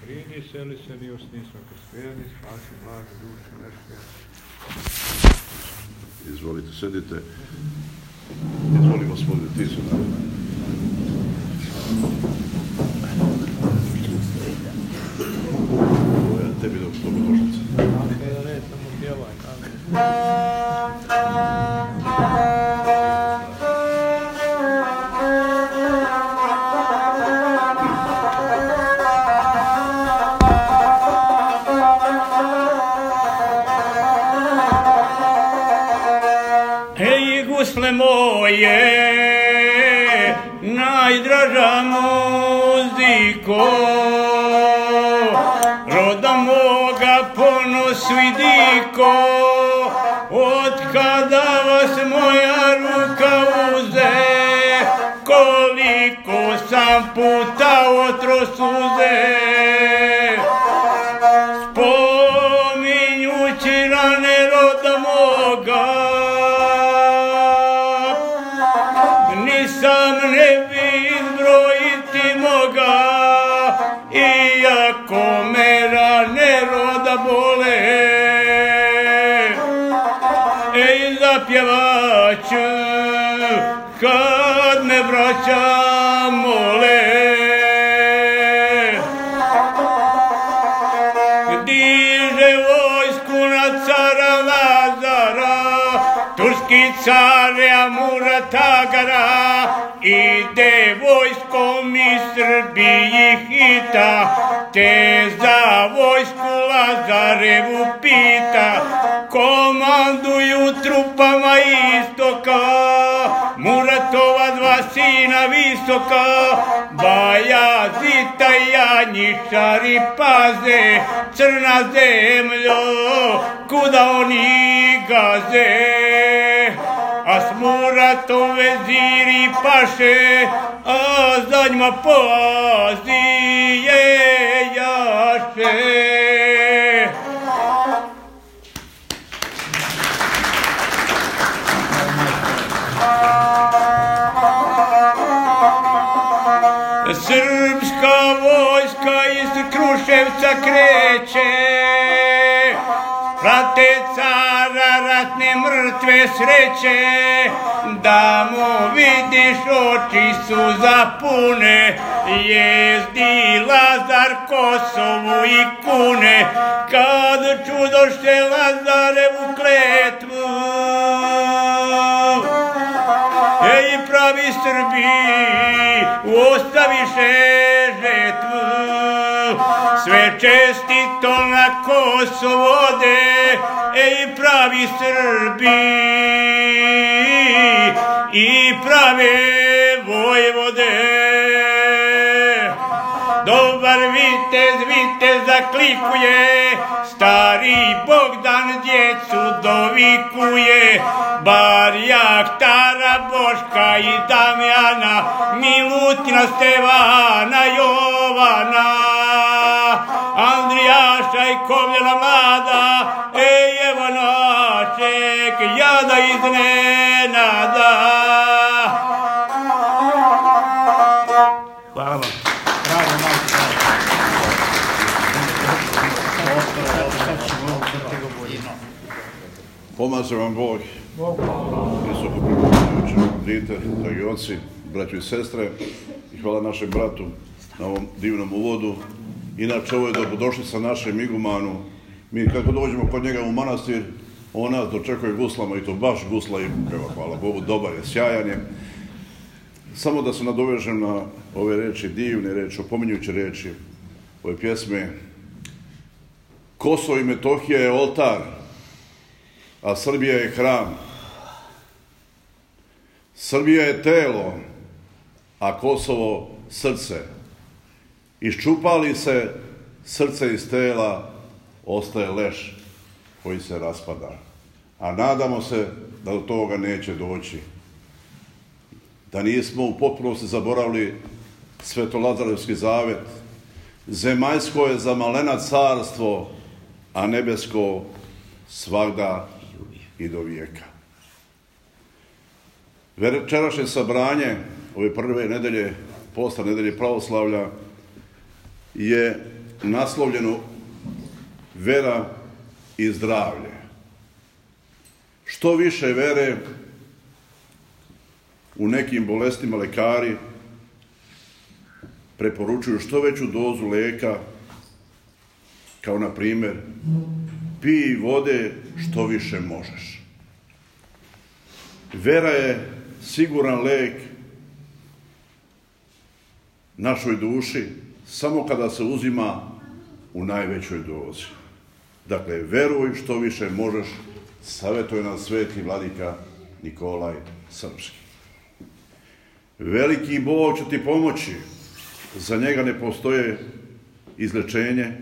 Pridi seli se, mi osnismo krspjeni, spasi mlade duše neške. Izvolite, sedite. Izvoli, Gospodine, ti su nam. Ovo je tebi dobrodošlica. Da ne, samo pjevaj, Gusle moje, najdraža muziko, roda moga ponos vidiko, od kada vas moja ruka uze, koliko sam puta otro suze, spominjući rane roda moga, sam ne bi izbrojiti moga, iako me rane roda bole. Ej, zapjevaću kad me braća mole. Diže vojsku na cara Lazara, turski carja Muratagara, ide vojskom iz Srbiji hita, te za vojsku Lazarevu pita, komanduju trupama istoka, Muratova dva sina visoka, Bajazita i Janjičari paze, crna zemljo, kuda oni gaze. A s Muratom veziri paše, a za njima poazije jaše. Srpska vojska iz Kruševca kreće, prate cara ratne mrtve sreće, da mu vidiš oči su zapune, jezdi Lazar Kosovu i kune, kad čudoše Lazarevu kletvu. Ej, pravi Srbi, ostaviše žetvu, sve čestito na Kosovo ode, ej, pravi Srbi i prave vojvode. Dobar vitez zaklikuje, stari Bogdan djecu dovikuje, Barjak, Tara, Boška i Damjana, Milutina, Stevana, Jovana, Andrijaša i Kovljena mlada, ej, evo našeg jada iznenada. Hvala vam. Pomaže vam Bog. Visoko pripomoćujući dite, dragi oci, braćo i sestre, i hvala našem bratu na ovom divnom uvodu. Inače, ovo je dobrodošlica našem igumanu. Mi kako dođemo kod njega u manastir, on nas dočekuje guslama, i to baš gusla i peva, hvala Bogu, dobar je, sjajan je. Samo da se nadovežem na ove reči, divne reči, opominjuće reči ove pjesme. Kosovo i Metohija je oltar, a Srbija je hram. Srbija je telo, a Kosovo srce. Iščupali se srce iz tela, ostaje leš koji se raspada. A nadamo se da do toga neće doći. Da nismo u potpunosti zaboravili Svetolazarevski zavet. Zemaljsko je za malena carstvo, a nebesko svagda i do vijeka. Večerašnje sabranje, ove prve nedelje posta nedelje pravoslavlja je naslovljeno vera i zdravlje. Što više vere, u nekim bolestima lekari preporučuju što veću dozu lijeka, kao na primjer pij vode što više možeš. Vera je siguran lijek našoj duši samo kada se uzima u najvećoj dozi. Dakle, veruj što više možeš, savjetuje nam sveti vladika Nikolaj Srpski. Veliki Bog će ti pomoći, za njega ne postoje izlečenje,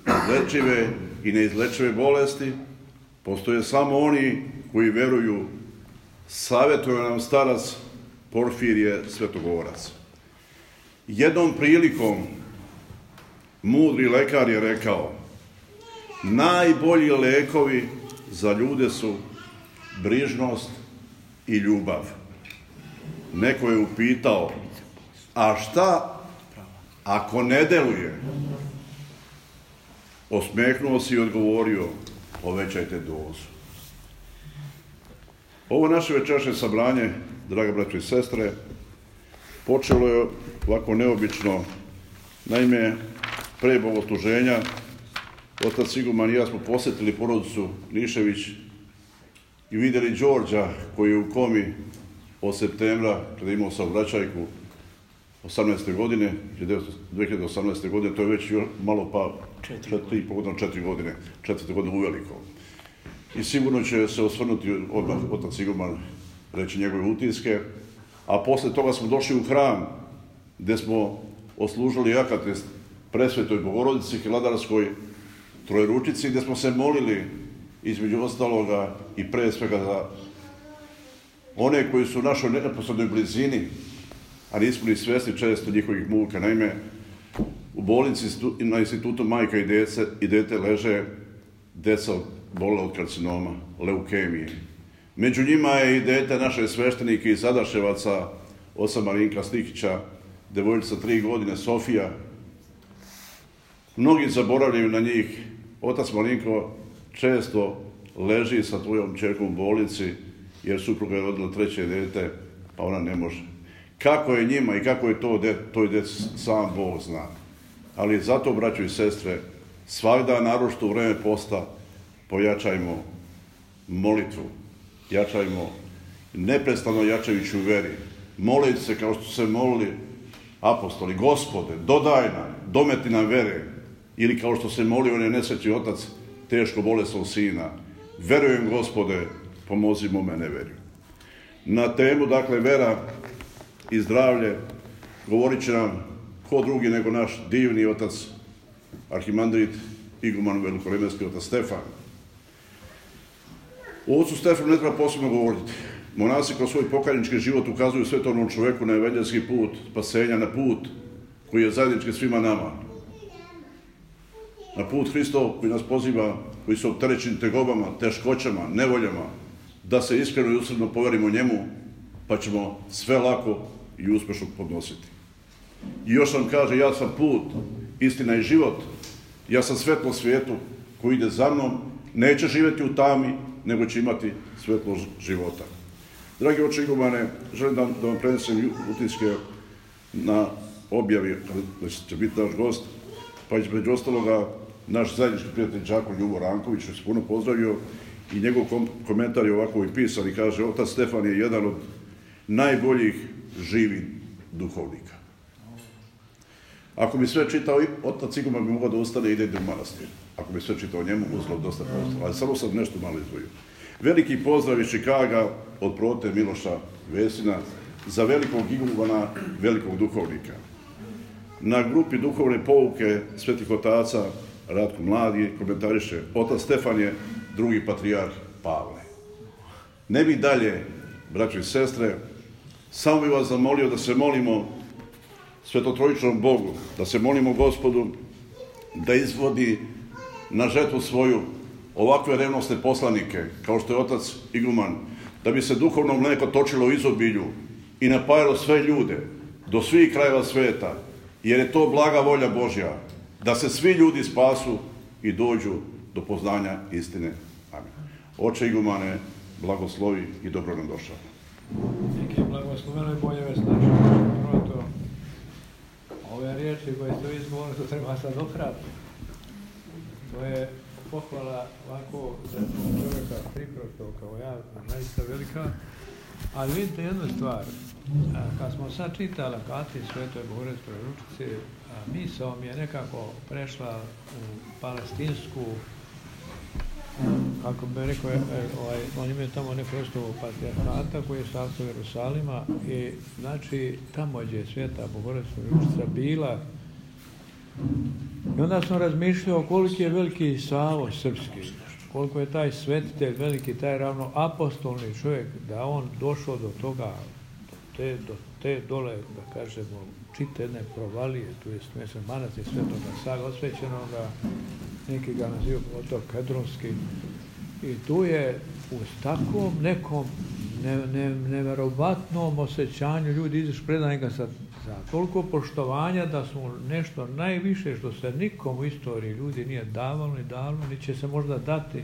izlečive i neizlečive bolesti, postoje samo oni koji veruju, savjetuje nam starac Porfirije Svetogorac. Jednom prilikom mudri lekar je rekao: najbolji lekovi za ljude su brižnost i ljubav. Neko je upitao: a šta ako ne deluje? Osmehnuo se i odgovorio: povećajte dozu. Ovo naše večerašnje sabranje, draga braćo i sestre, počelo je ovako neobično. Naime, pre bogosluženja otac Iguman i ja smo posjetili porodicu Nišević i vidjeli Đorđa koji je u komi od septembra, kada je imao saobraćajku 18. godine, 2018. godine, to je već malo pa 4 godine, 4. godine uveliko. I sigurno će se osvrnuti odmah otac Iguman, reći njegove utiske, a posle toga smo došli u hram gdje smo oslužili akatest Presvetoj Bogorodici Hilandarskoj Trojeručici, gdje smo se molili između ostaloga i pre svega za one koji su u našoj neposrednoj blizini, a nismo ni svjesni često njihovih muka. Naime, u bolnici na institutu Majka i dete leže deca bolila od karcinoma, leukemije. Među njima je i dete naše sveštenike iz Adaševaca, oca Marinka Stikića, devojčica 3 godine, Sofija. Mnogi zaboravljaju na njih. Otac Marinko često leži sa tvojom čerkom u bolnici, jer supruga je rodila 3. dete, pa ona ne može. Kako je njima i kako je to djeci, sam Bog zna. Ali zato, braćo i sestre, svakda, naročito u vreme posta, pojačajmo molitvu, jačajmo, neprestano jačajući u veri. Molite se kao što su se molili apostoli: Gospode, dodaj nam, dometi nam vere. Ili kao što se molio onaj nesrećni otac teško bolesnog sina: verujem, Gospode, pomozi mome neverju. Na temu, dakle, vera i zdravlje govorit će nam ko drugi nego naš divni otac arhimandrit Iguman Velikoremenski, otac Stefan. O ocu Stefanu ne treba posebno govoriti. Monasi kroz svoj pokajnički život ukazuju svetovnom čovjeku na evanđelski put spasenja, na put koji je zajednički svima nama. Na put Hristov koji nas poziva, koji su opterećeni tegobama, teškoćama, nevoljama, da se iskreno i usredno poverimo njemu, pa ćemo sve lako i uspješno podnositi. I još nam kaže: ja sam put, istina i život, ja sam svetlo svijetu koji ide za mnom, neće živjeti u tami, nego će imati svetlo života. Dragi oče Igumane, želim da vam prenesem utiske na objavi, da će biti naš gost, pa između ostaloga naš zajednički prijatelj đakon Ljubo Ranković, što se puno pozdravio, i njegov komentar je ovako i pisan i kaže: otac Stefan je jedan od najboljih živih duhovnika. Ako bi sve čitao, otac Iguman bi mogao da ustane i ide u manastir. Ako bi sve čitao njemu, uzelo dosta prostora. Ali samo sam nešto malo izdvojio. Veliki pozdrav iz Čikaga od prote Miloša Vesina za velikog Igumana, velikog duhovnika. Na grupi duhovne pouke svetih otaca Ratko Mladi komentariše: otac Stefan je drugi patrijarh Pavle. Ne bi dalje, braćo i sestre, samo bih vas zamolio da se molimo Svetotrojičnom Bogu, da se molimo Gospodu da izvodi na žetvu svoju ovakve revnosne poslanike, kao što je otac Iguman, da bi se duhovno mleko točilo u izobilju i napajalo sve ljude, do svih krajeva sveta, jer je to blaga volja Božja, da se svi ljudi spasu i dođu do poznanja istine. Amin. Oče igumane, blagoslovi i dobro nam došao. Neke blagosloveno i bolje već naše. Proto, ove riječi koje ste izgovorili, to treba sad ohrabiti. To je pohvala ovako za čovjeka priprostao kao ja, naista velika. Ali vidite jednu stvar, kad smo sad čitali Akati Svetoj Bogorodicoj ručici, misao mi je nekako prešla u palestinsku, kako bi rekao, oni imaju tamo neku vrstu patrijarhata koji je sastav Jerusalima i znači tamo gdje je Sveta Bogorodicova ručica bila. I onda smo razmišljali koliki je veliki Savo srpski, koliko je taj svetitelj veliki, taj ravno apostolni čovjek, da on došao do toga, do te dole, da kažemo, čite jedne provalije, tu je manastir Svetoga Save osvećenoga, neki ga nazivaju otok Kedronski, i tu je u takvom nekom neverovatnom osjećanju ljudi izašli predani ga sa toliko poštovanja da su nešto najviše što se nikom u istoriji ljudi nije davalo ni davno, ni će se možda dati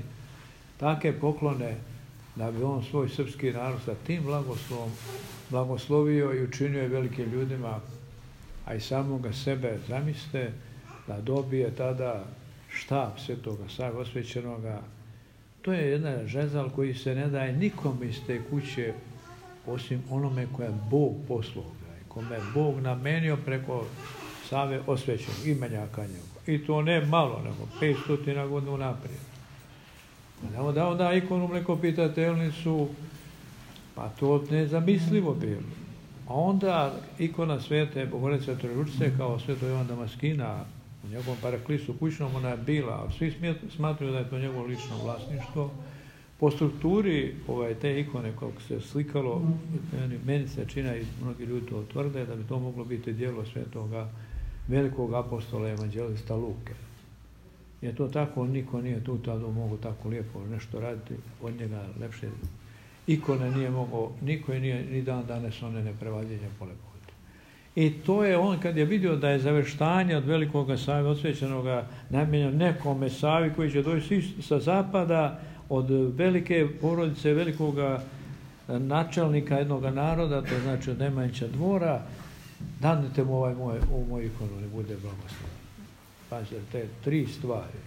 take poklone da bi on svoj srpski narod sa tim blagoslovom blagoslovio i učinio je velikim ljudima, a i samoga sebe zamislite da dobije tada štab Svetoga Save osvećenoga. To je jedna žezal koji se ne daje nikom iz te kuće osim onome koje je Bog poslao, kome je Bog namenio preko Save osvećenog imenjaka njegova. I to ne malo, nego 500 godina naprijed. Da onda ikonu mlekopitateljnicu, pa to nezamislivo bilo. A onda ikona Svete Bogorodice Trojeručice kao Sveto Jovan Damaskina u njegovom paraklisu kućnom ona je bila, ali svi smatruju da je to njegovo lično vlasništvo. Po strukturi te ikone kako se slikalo, meni se čina i mnogi ljudi to tvrde da bi to moglo biti djelo Svetoga velikog apostola evanđelista Luke. Je to tako, niko nije tu tada mogu tako lijepo nešto raditi, od njega lepše ikone nije mogao, niko je nije ni dan danas one neprevaljenja po lepoti. I to je on kad je vidio da je zaveštanje od velikoga Save osvećenoga namijenjeno nekome Savi koji će doći sa zapada, od velike porodice, velikoga načelnika jednog naroda, to znači od Nemanjića dvora, danite mu ovu moju ikonu, ne bude blagosloven. Pazite, te 3 stvari.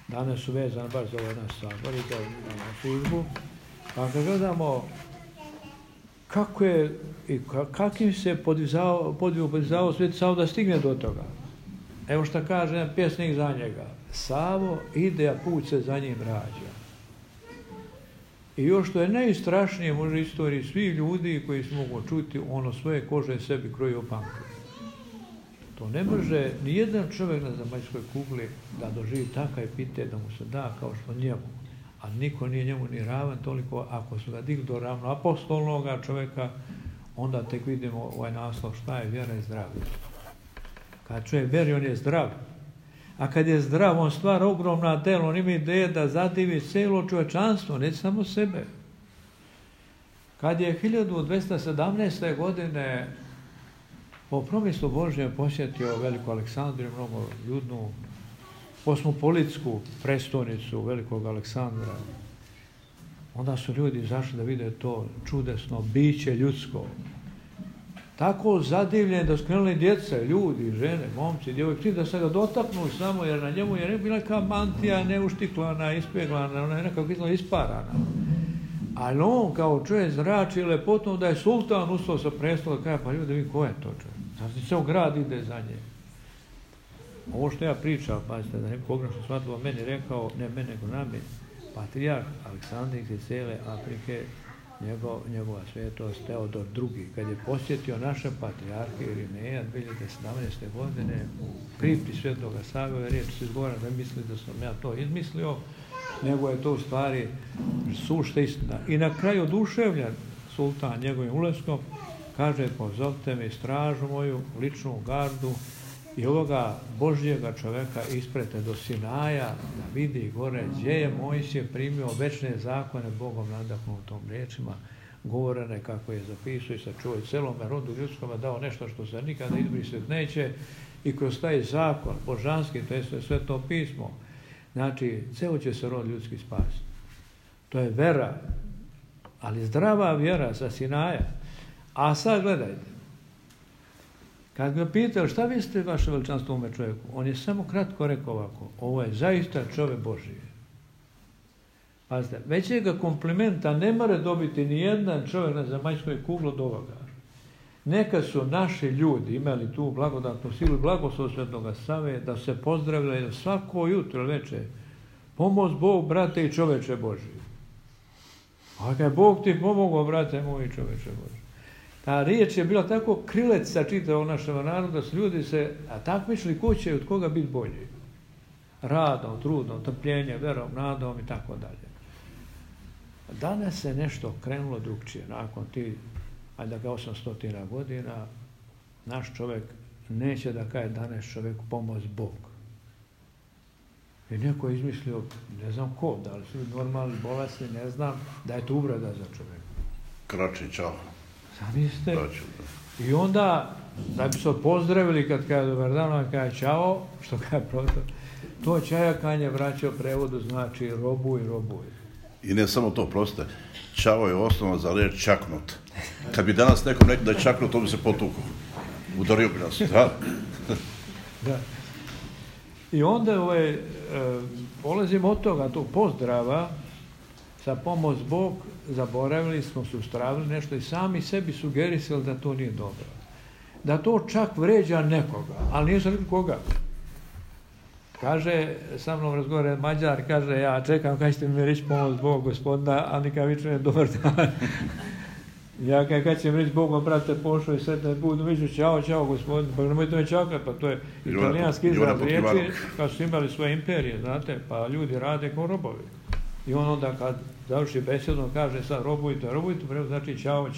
Danas su vezane baš za ovaj naš sabor i na službu. A kad gledamo kako je i kakvim se podizao Sveti Savo da stigne do toga. Evo što kaže jedan pjesnik za njega. Savo ide, a put se za njim rađa. I još što je najstrašnije možda u istoriji svi ljudi koji se mogu čuti, ono svoje kože sebi kroji opanke. To ne može ni jedan čovjek na zemaljskoj kugli da doživi takav epitet da mu se da kao što njemu. A niko nije njemu ni ravan toliko, ako su ga digli do ravno apostolnoga čovjeka, onda tek vidimo ovaj naslov šta je vjera i zdravlje. Kad čovjek vjeri, on je zdrav. A kad je zdrav, on stvara ogromna dela, on ima ideje da zadivi cijelo čovječanstvo, ne samo sebe. Kad je 1217. godine po promislu Božjem posjetio veliku Aleksandriju, mnogo ljudnu, kosmopolitsku prestolnicu velikog Aleksandra, onda su ljudi izašli da vide to čudesno biće ljudsko. Tako zadivljeni da skrenuli djece, ljudi, žene, momci, djevojke, da se ga dotaknu samo, jer na njemu je bila neka mantija neuštiklana, ispeglana, ona je nekako izgleda isparana. Ali on kao čovjek zrači lepotom da je sultan ustao sa prestola, kaže, pa ljudi, ko je to čovjek? Znači, ceo grad ide za nje. Ovo što ja pričam, pazite, da neko pogrešno shvatilo, meni rekao, ne mene, nego nami, patrijarh Aleksandrik iz cijele Afrike, njegova svetost Teodor II. Kad je posjetio naše patrijarhe Irineja 2017. godine u kripti Svetoga Save, riječ se izgovara da misli da sam ja to izmislio, nego je to u stvari sušta istina. I na kraju oduševljen sultan njegovim ulaskom, kaže, pozovite me stražu moju, ličnu gardu, i ovoga Božjega čoveka isprete do Sinaja, da vidi gore gdje je Mojsije primio večne zakone Bogom nadahnutom riječima, govorene kako je zapisao i sačuvao celome rodu ljudskome, dao nešto što se nikada izbrisati neće i kroz taj zakon božanski, to je sve to pismo, znači ceo će se rod ljudski spasiti. To je vera, ali zdrava vjera sa Sinaja. A sad gledajte, kad ga pitao šta mislite vaše veličanstvo ovome čovjeku, on je samo kratko rekao ovako, ovo je zaista čovjek Božji. Pazite, većega komplimenta ne more dobiti ni jedan čovjek na zemaljskoj kugli od ovoga. Neka su naši ljudi imali tu blagodatnu silu i blagoslov Svetoga Save da se pozdravljaju svako jutro večer. Pomoz Bog, brate i čoveče Božji. A kad Bog ti pomogao, brate moj i čoveče Božji. Ta riječ je bila tako krilec sa čitavog našeg naroda, da su ljudi se takmičili ko će od koga biti bolji. Radom, trudom, trpljenjem, verom, nadom i tako dalje. Danas se nešto krenulo drugčije. Nakon ti, ajde da ga 800 godina, naš čovjek neće da kaže danas čovjeku pomoz Bog. I neko je izmislio, ne znam ko, da li su normalni, bolesni, ne znam, da je to uvreda za čovjeka. Krači, čao. Zamislite. I onda, da bi se pozdravili kad kaže dobar dan, on kaže čao, što kaže proto, to čajakanje vraća prevodu znači robuj, robuj. I ne samo to, proste, čao je osnova za riječ čaknut. Kad bi danas nekom rekao da je čaknut, to bi se potukao. Udario bi nas, da? Da. I onda polazimo od toga, tog pozdrava, sa pomoć Bog, zaboravili smo, sustravili nešto i sami sebi sugerisali da to nije dobro. Da to čak vređa nekoga, ali nije sam koga. Kaže, sa mnom razgovara Mađar, kaže, ja čekam kada ćete mi reći pomoć Bog, gospodina, a nikad vične dobar dan. Ja kad će mi reći Bogom, brate, pošao i sretne budu, viću, čao, gospodin, pa nemojte me čakati, pa to je italijanski izraz riječi, kad su imali svoje imperije, znate, pa ljudi rade kao robovi. I on onda kad završi besedu, kaže sad robujte, prvo znači čao.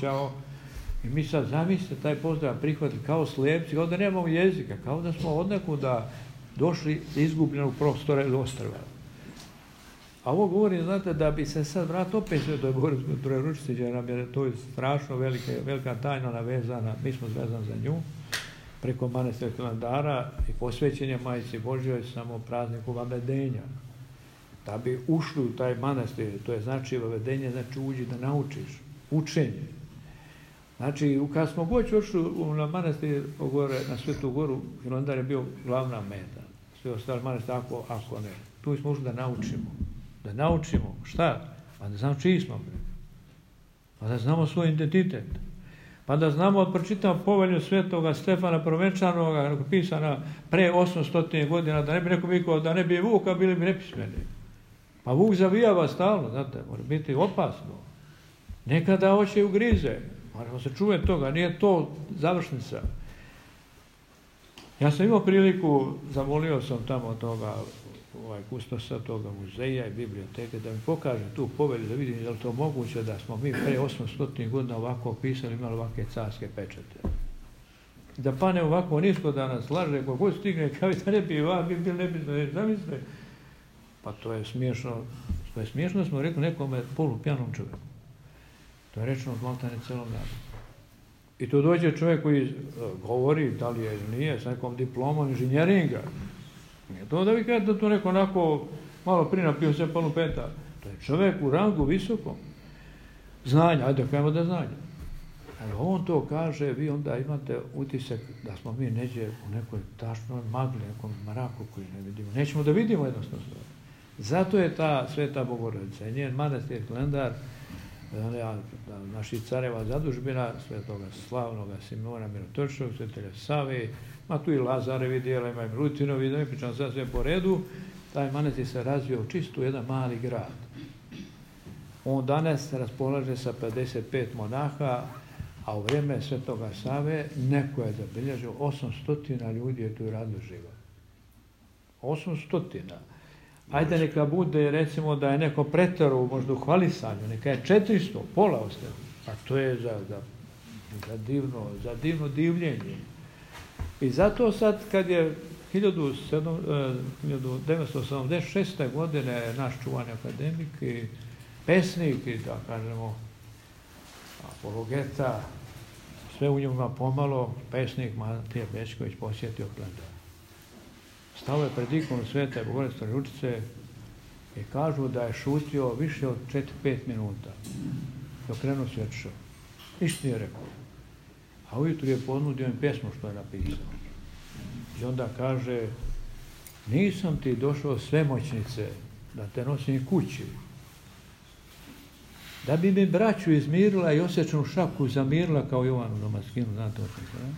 I mi sad zamislite taj pozdrav prihvatili kao slijepci, kao da nemamo jezika, kao da smo odnekuda došli izgubljenog prostora ili ostrva. A ovo govorim, znate, da bi se sad vratio opet sve to je Trojeručici, jer nam je to strašno velika tajna navezana, mi smo zvezani za nju, preko manastira Hilandara i posvećenje Majici Božjoj samo prazniku vavedenja. Da bi ušli u taj manastir, to je znači vavedenje, znači uđi da naučiš, učenje. Znači, kad smo god ošli na manastir na Svetu Goru, Hilandar je bio glavna meta. Sve ostale manastire, ako ne. Tu smo ušli da naučimo. Da naučimo. Šta? Pa da znamo čiji smo. Pa da znamo svoj identitet. Pa da znamo, pročitamo povelju Svetoga Stefana Provenčanoga, pisana pre 800 godina, da ne bi neko vikao, da ne bi Vuka, bili bi nepismeni. Pa Vuk zavijava stalno, znate, mora biti opasno. Nekada hoće ugrize. Moramo se čuvati toga, nije to završnica. Ja sam imao priliku, zamolio sam tamo toga, kustosa toga muzeja i biblioteke, da mi pokaže tu povelju, da vidim da li to moguće da smo mi pre 800 godina ovako pisali, imali ovakve carske pečete. Da pane ovako nisko da nas laže, kogod stigne, kao da ne bi bili nebitno, zamislite. Pa to je smiješno. To je smiješno, smo rekli nekome polupjanom čovjeku. To je rečeno od maltene celom narodu. I tu dođe čovjek koji govori, da li je ili nije, s nekom diplomom inženjeringa. Nije to da vi kažete da to neko onako malo prinapio se polu peta. To je čovjek u rangu visokom. Znanja, ajde kajmo da znanja. Ali on to kaže, vi onda imate utisak da smo mi neđe u nekoj tašnoj magli, nekom mraku koji ne vidimo. Nećemo da vidimo jednostavno. Zato je ta Sveta Bogorodica, njen manastir Hilandar, naših careva zadužbina, svetoga slavnoga Simona Mirotočnog, svetelja Save, ma tu i Lazarevi dijela, ima i Milutinovi, da mi pričam sad sve po redu, taj manastir se razvio u čistu jedan mali grad. On danas raspolaže sa 55 monaha, a u vrijeme svetoga Save neko je zabilježio 800 ljudi je tu radilo živo. 800. Ajde neka bude, recimo, da je neko pretero možda u hvalisanju, neka je 400, pola ostaje. A to je za divno divljenje. I zato sad, kad je 1976. godine naš čuvani akademik i pesnik, i da kažemo, apologeta, sve u njima pomalo, pesnik Matija Bećković posjetio Hilandar. Stao je pred ikonu Svete Bogorodice Stvarjučice i kažu da je šutio više od 4-5 minuta. Dok krenuo se otišao. Ništa nije rekao. A ujutru je ponudio im pjesmu što je napisao. I onda kaže, nisam ti došao svemoćnice da te nosim kući. Da bi mi braću izmirila i osjećanu šaku zamirila kao Jovanu Damaskinu, znate o tom.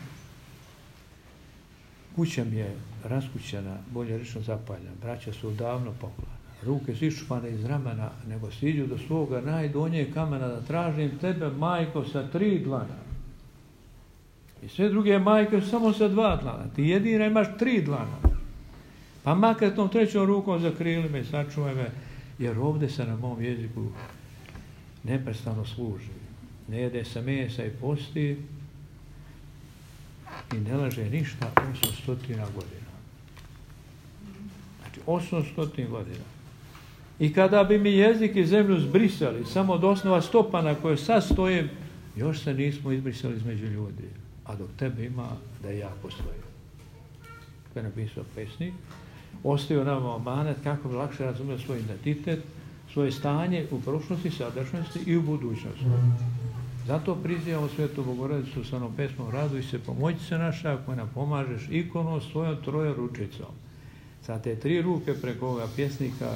Kuća mi je raskućena, bolje rečeno zapaljena. Braća su davno poklana. Ruke su iščupane iz ramena, nego stiđu do svoga najdonjeg kamena da tražim tebe, majko, sa 3 dlana. I sve druge majke su samo sa 2 dlana. Ti jedina imaš 3 dlana. Pa makar tom 3. rukom zakrili me i sačuvaj me, jer ovdje se na mom jeziku neprestano služi. Ne jede se mesa i posti i ne laže ništa 800 godina. Znači 800 godina. I kada bi mi jezik i zemlju zbrisali, samo od osnova stopa na koje sad stojim, još se nismo izbrisali između ljudi. A dok tebe ima, da ja postojim. To je napisao pesnik. Ostavio nam amanet kako bi lakše razumio svoj identitet, svoje stanje u prošlosti, sadašnjosti i u budućnosti. Zato prizivamo Svetu Bogorodicu sa onom pesmom Raduj se, pomoći se naša, ako nam pomažeš ikonom svojom trojeručicom. Sa te 3 ruke preko ovoga pjesnika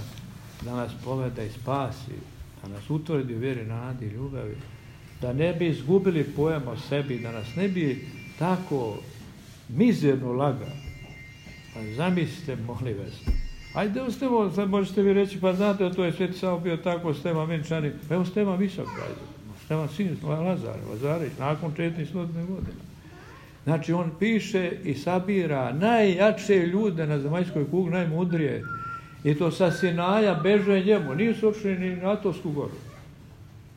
da nas poveda i spasi, da nas utvrdi u vjeri, nadi i ljubavi, da ne bi izgubili pojam o sebi, da nas ne bi tako mizerno lagao. Pa zamislite, molim vas. Ajde, evo Stevo, sad možete vi reći, pa znate, to je Sveti Savo bio tako, Stevan Venčani, pa evo Stevan Visok, Stevan sin Lazarević, nakon 400 godina. Znači, on piše i sabira najjače ljude na zemaljskoj kugli, najmudrije, i to sa Sinaja beže njemu, nisu otišli ni na Atovsku goru,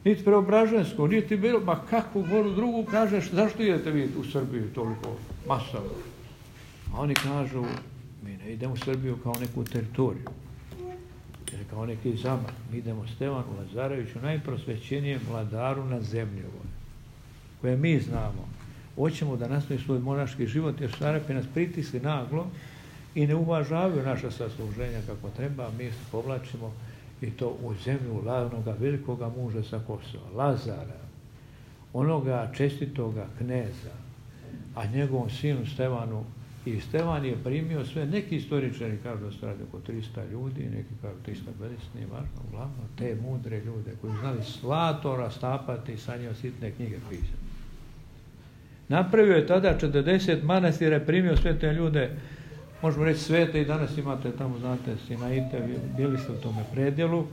niti Preobražensku, niti bilo, ma kakvu goru drugu, kažeš, zašto idete vi u Srbiju toliko masovno? A oni kažu, mi ne idemo u Srbiju kao neku teritoriju, ili kao neki zamah, mi idemo Stevanu Lazareviću, najprosvećenijem vladaru na zemlji ovoj, koje mi znamo. Hoćemo da nastavi svoj monaški život, jer su Arapi nas pritisli naglo i ne uvažavaju naša sasluženja kako treba, mi se povlačimo i to u zemlju onoga velikoga muža sa Kosova, Lazara, onoga čestitoga kneza, a njegovom sinu Stevanu. I Stevan je primio sve, neki istoričari kažu da se radi oko 300 ljudi, neki kažu 350, nije važno, uglavnom te mudre ljude koji znali zlato rastapati i sa njima sitne knjige pisati. Napravio je tada 40 manastira, primio sve te ljude, možemo reći svete, i danas imate tamo, znate, Sinaite, bili ste u tome predjelu.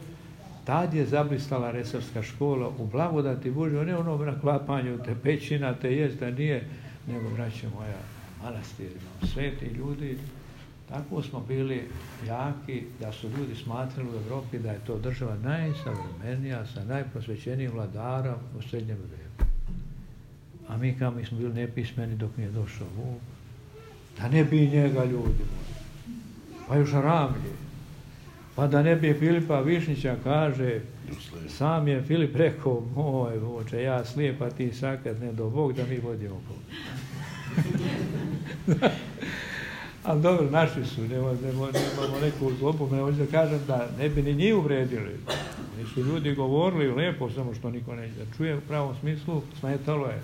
Tad je zablistala Resavska škola u blagodati Božjoj, ne ono na klapanju te pećina, te jest da nije, nego, braće moja, manastirima, sveti ljudi. Tako smo bili jaki da su ljudi smatrali u Evropi da je to država najsavremenija sa najprosvećenijim vladarom u srednjem vijeku. A mi kao mi smo bili nepismeni dok nije došao Vuk, da ne bi njega ljudi moji, pa još Ramlje, pa da ne bi Filipa Višnjića, kaže, sam je Filip rekao, moj voče, ja slijep, a ti sakat, ne do Bog da mi vodimo Bog. Ali dobro, naši su, nemamo neku zlobu, ne hoću da kažem da ne bi ni njih uvredili. Oni su ljudi govorili lijepo, samo što niko neće da čuje u pravom smislu, smetalo je.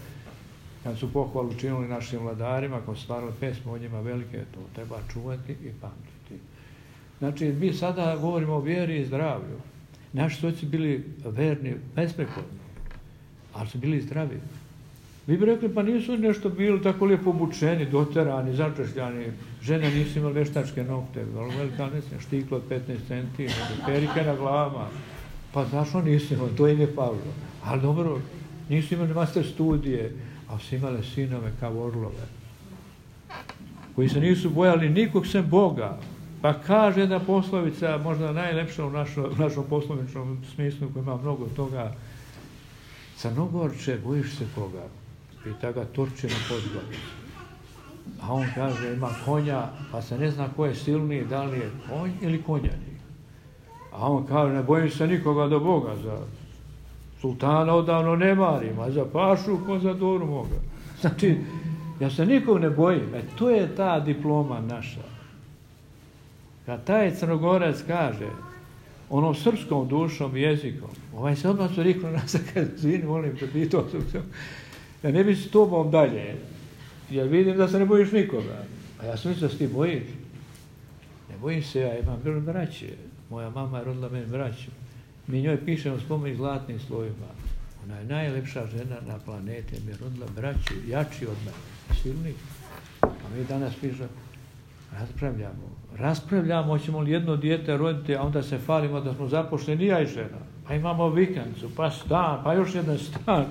Kad su pohvalu činili našim vladarima, kad su stvarali pesme o njima velike, to treba čuvati i pamtiti. Znači, mi sada govorimo o vjeri i zdravlju. Naši su oci bili verni, besprekorni, ali su bili zdravi. Vi bi rekli, pa nisu nešto bili tako lijepo obučeni, doterani, začešljani, žene nisu imali veštačke nokte, velika nesnja, štiklo od 15 centi, perike na glavama. Pa zašto nisu imali, to im je falilo. Ali dobro, nisu imali master studije, ali su imali sinove kao orlove, koji se nisu bojali nikog sem Boga. Pa kaže jedna poslovica, možda najlepša u našom poslovičnom smislu, koji ima mnogo toga, Crnogorče, bojiš se koga? Pita ga Turčina Podgorica. A on kaže, ima konja, pa se ne zna ko je silniji, da li je konj ili konjani. A on kaže, ne bojim se nikoga do Boga, sultana odavno ne marim, a za pašu ko za doru moga. Znači, ja se nikog ne bojim. To je ta diploma naša. Kad taj Crnogorac kaže onom srpskom dušom i jezikom, ovaj se odmah riknu nas, kad zvini, molim te, pitao sam, ja ne bi s tobom dalje, jer vidim da se ne bojiš nikoga. A ja sam mislio da se ti bojiš. Ne bojim se, ja imam braće. Moja mama je rodila meni braću. Mi njoj pišemo spomenik zlatnim slovima. Ona je najlepša žena na planeti, mi je rodila braću, jači od mene, silni. A mi danas pišemo, raspravljamo, hoćemo li jedno dijete roditi, a onda se falimo da smo zaposleni, ja i žena. Pa imamo vikendicu, pa stan, pa još jedan stan.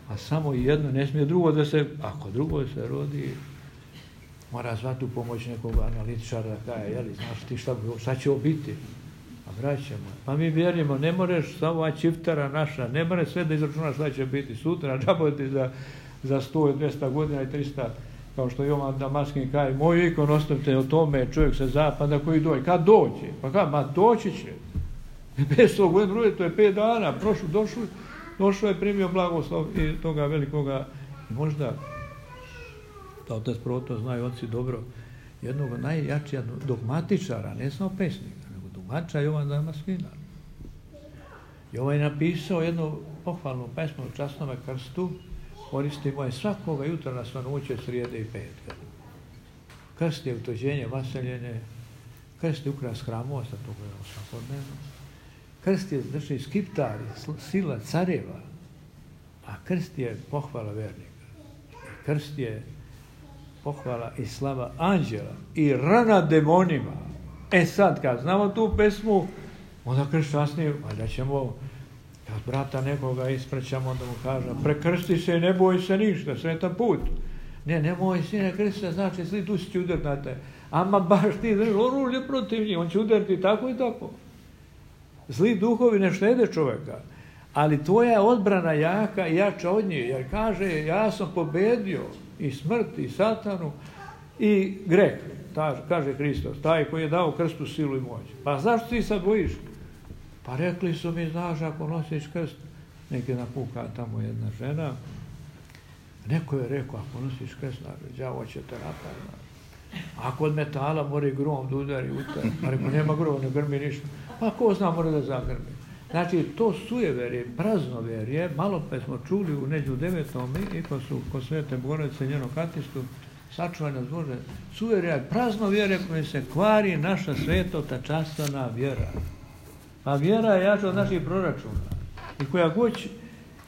A samo jedno, ne smije drugo da se, ako drugo se rodi, mora zvati u pomoć nekog analitičara da kaže, jeli, znaš ti šta će ovo biti? A vraćamo. Pa mi vjerujemo, ne moreš samo ova čiftara naša, ne more sve da izračunaš šta će biti sutra, džaboti za 100, 200 godina i 300, kao što Jovan Damaskin kaže, moj ikon ostavite o tome, čovjek sa zapada koji dođe. Kad dođe? Pa kad? Ma doći će. 500 godina, to je 5 dana, došao je, primio blagoslov i toga velikoga, možda, da otac Proto znaju oci dobro, jednog najjačija dogmatičara, ne samo pesnika, nego dogmatičara Jovan Damaskina. I ovaj je napisao jednu pohvalnu pesmu u Časnome krstu, koristimo je svakoga jutra na svanuće, srijede i petka. Krst je utođenje vaseljene, krst je ukras hramova, sad to gledamo svakodnevno. Krst je, znači, skiptar, sila careva, a krst je pohvala vernika. Krst je pohvala i slava anđela i rana demonima. Sad, kad znamo tu pesmu, onda kršćasni, da ćemo, kad brata nekoga ispraćamo, onda mu kaže, prekrsti se i ne boj se ništa, sretan put. Nemoj sine krsti se, znači zli dusi će udariti na te. Ama baš ti, oružje protiv njih, on će udariti tako i tako. Zli duhovi ne štede čovjeka, ali tvoja odbrana jaka i jača od nje, jer kaže, ja sam pobedio i smrt, i satanu, i greh, kaže Hristos, taj koji je dao krstu silu i moć. Pa zašto ti sad bojiš? Pa rekli su mi, znaš, ako nosiš krst, neki napuka tamo jedna žena, neko je rekao, ako nosiš krst, đavo će te napad. Ako od metala mora grom da udari utar, pa rekao, nema groma, ne grmi ništa. Pa ko zna, mora da zagrmi. Znači, to sujeverje, praznovjerje, malo pa smo čuli u neđu 9. i kod Svete Bogorodice njenog katistu, sačuvaj nas Bože, sujeverje je praznovjerje kojim se kvari naša svetota častvena vjera. A vjera je jača od naših proračuna. I koja god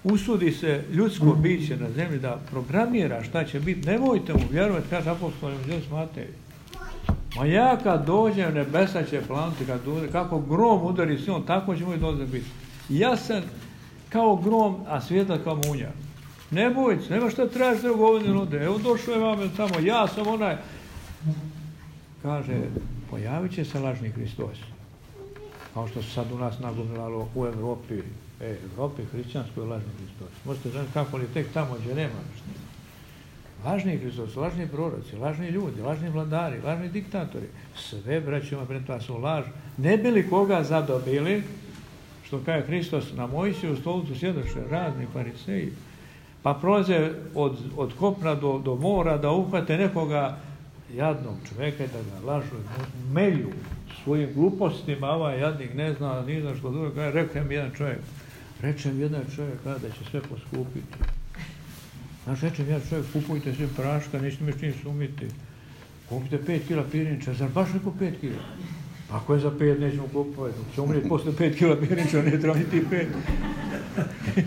usudi se ljudsko biće na zemlji da programira šta će biti, nemojte mu vjerovati, kaže apostol Matej. Ma ja kad dođem, nebesa će planuti, kako grom udari silom, tako će moj dolazak biti. Jasan kao grom, a svjetla kao munja. Ne bojte se, nema šta trebaš da govorim ovdje. Evo došao je vam tamo, ja sam onaj. Kaže, pojavit će se lažni Hristos. Kao što se sad u nas nagomilalo u Evropi. Evropi, hrišćanskoj lažni Hristos. Možete znati kako li tek tamo gdje nema ništa. Lažni Hristos, lažni proroci, lažni ljudi, lažni vladari, lažni diktatori. Sve, braćima, pred toga su laž. Ne bi li koga zadobili, što kaže Hristos, na Mojsiju stolicu sjedoše razni fariseji, pa prolaze od kopna do mora da uhvate nekoga jadnog čovjeka da ga lažu, melju svojim glupostima, ovaj jadnik ne zna, ni zna što drugo, kaže, reče mi jedan čovjek kada da će sve poskupiti. Znaš, reče mi jedan čovjek, kupujte sve praška, nećete me čim sumiti. Kupite 5 kila pirinča, zar baš neko 5 kila? Ako je za 5, nećemo kupovati. Će umrijeti posle 5 kila pirinča, ne treba ni ti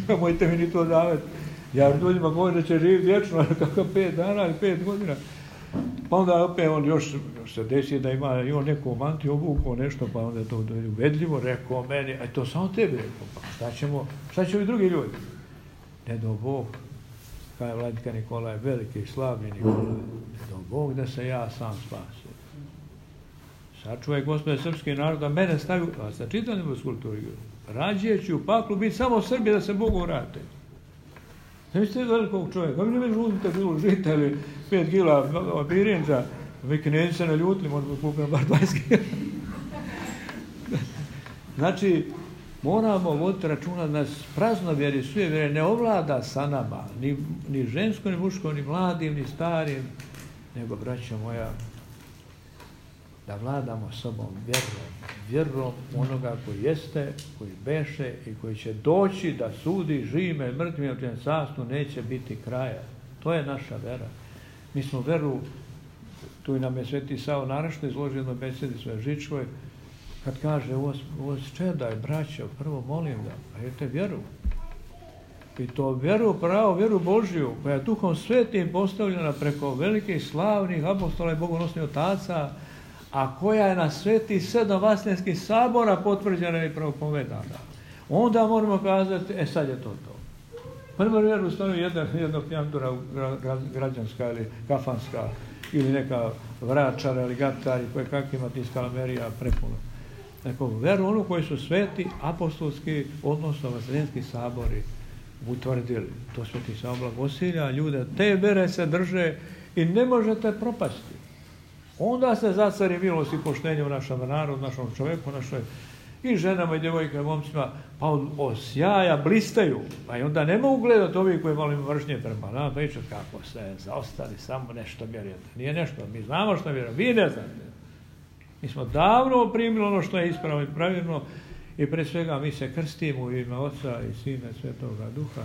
5. Mojte mi ni to davati. Ja ljudima govorim da će živjeti vječno, kako 5 dana ili 5 godina. Pa onda opet on još se desi da ima i on neku mantiju obuku, nešto, pa onda je to uvedljivo, rekao meni, a to samo tebi rekao, pa šta će ovi drugi ljudi? Ne do Bog, kao je Vladika Nikolaj, veliki i slavni Nikolaj, ne do Bog da se ja sam spasim. Sačuvaj Gospode srpski narod, da mene stavio, a sa čitanjem u skulpturi, rađe ću u paklu biti samo Srbi da se Bogu vrate. Ne ste velikog čovjeka, vi ne već uzmite bilo žita ili 5 kila pirinča, vi knjezi se naljutili, možda kupimo bar 20 kila. Znači, moramo voditi računa da nas praznovjeri, sujevjeri ne ovlada sa nama, ni žensko, ni muško, ni mladim, ni starim, nego, braćo moja, da vladamo sobom vjerom onoga koji jeste, koji beše i koji će doći da sudi živima i mrtvima, u čijem carstvu neće biti kraja. To je naša vera. Mi smo veru, tu nam je Sveti Savo naročito izložio jedno besedi svoje Žičkoj, kad kaže, ovo čedaj, braćo, prvo molim da, a jete vjeru. I to vjeru, pravo vjeru Božju, koja je Duhom Svetim postavljena preko velikih slavnih apostola i bogonosnih otaca, a koja je na sveti 7 vaseljenskih sabora potvrđena i propovedana. Onda moramo kazati, sad je to. Prvo vjeru stavio jedna pjantura građanska ili kafanska, ili neka vračara ili gatari, koje kakvima ti skalamerija prepuno. Neko veru onu koji su sveti apostolski, odnosno vaseljenski sabori utvrdili. To Sveti Savo blagosilja ljude, te vere se drže i ne možete propasti. Onda se zacari milost i poštenje u našem narodu, našom čovjeku, našoj i ženama i djevojkama i momcima, pa od sjaja blistaju. Pa i onda ne mogu gledati ovi koji malo ima vršnje prema nama, pričati kako se zaostali, samo nešto vjerujete. Nije nešto, mi znamo što vjerujemo, vi ne znate. Mi smo davno primili ono što je ispravno i pravilno i pre svega mi se krstimo u ime Oca i Sina i Svetoga Duha,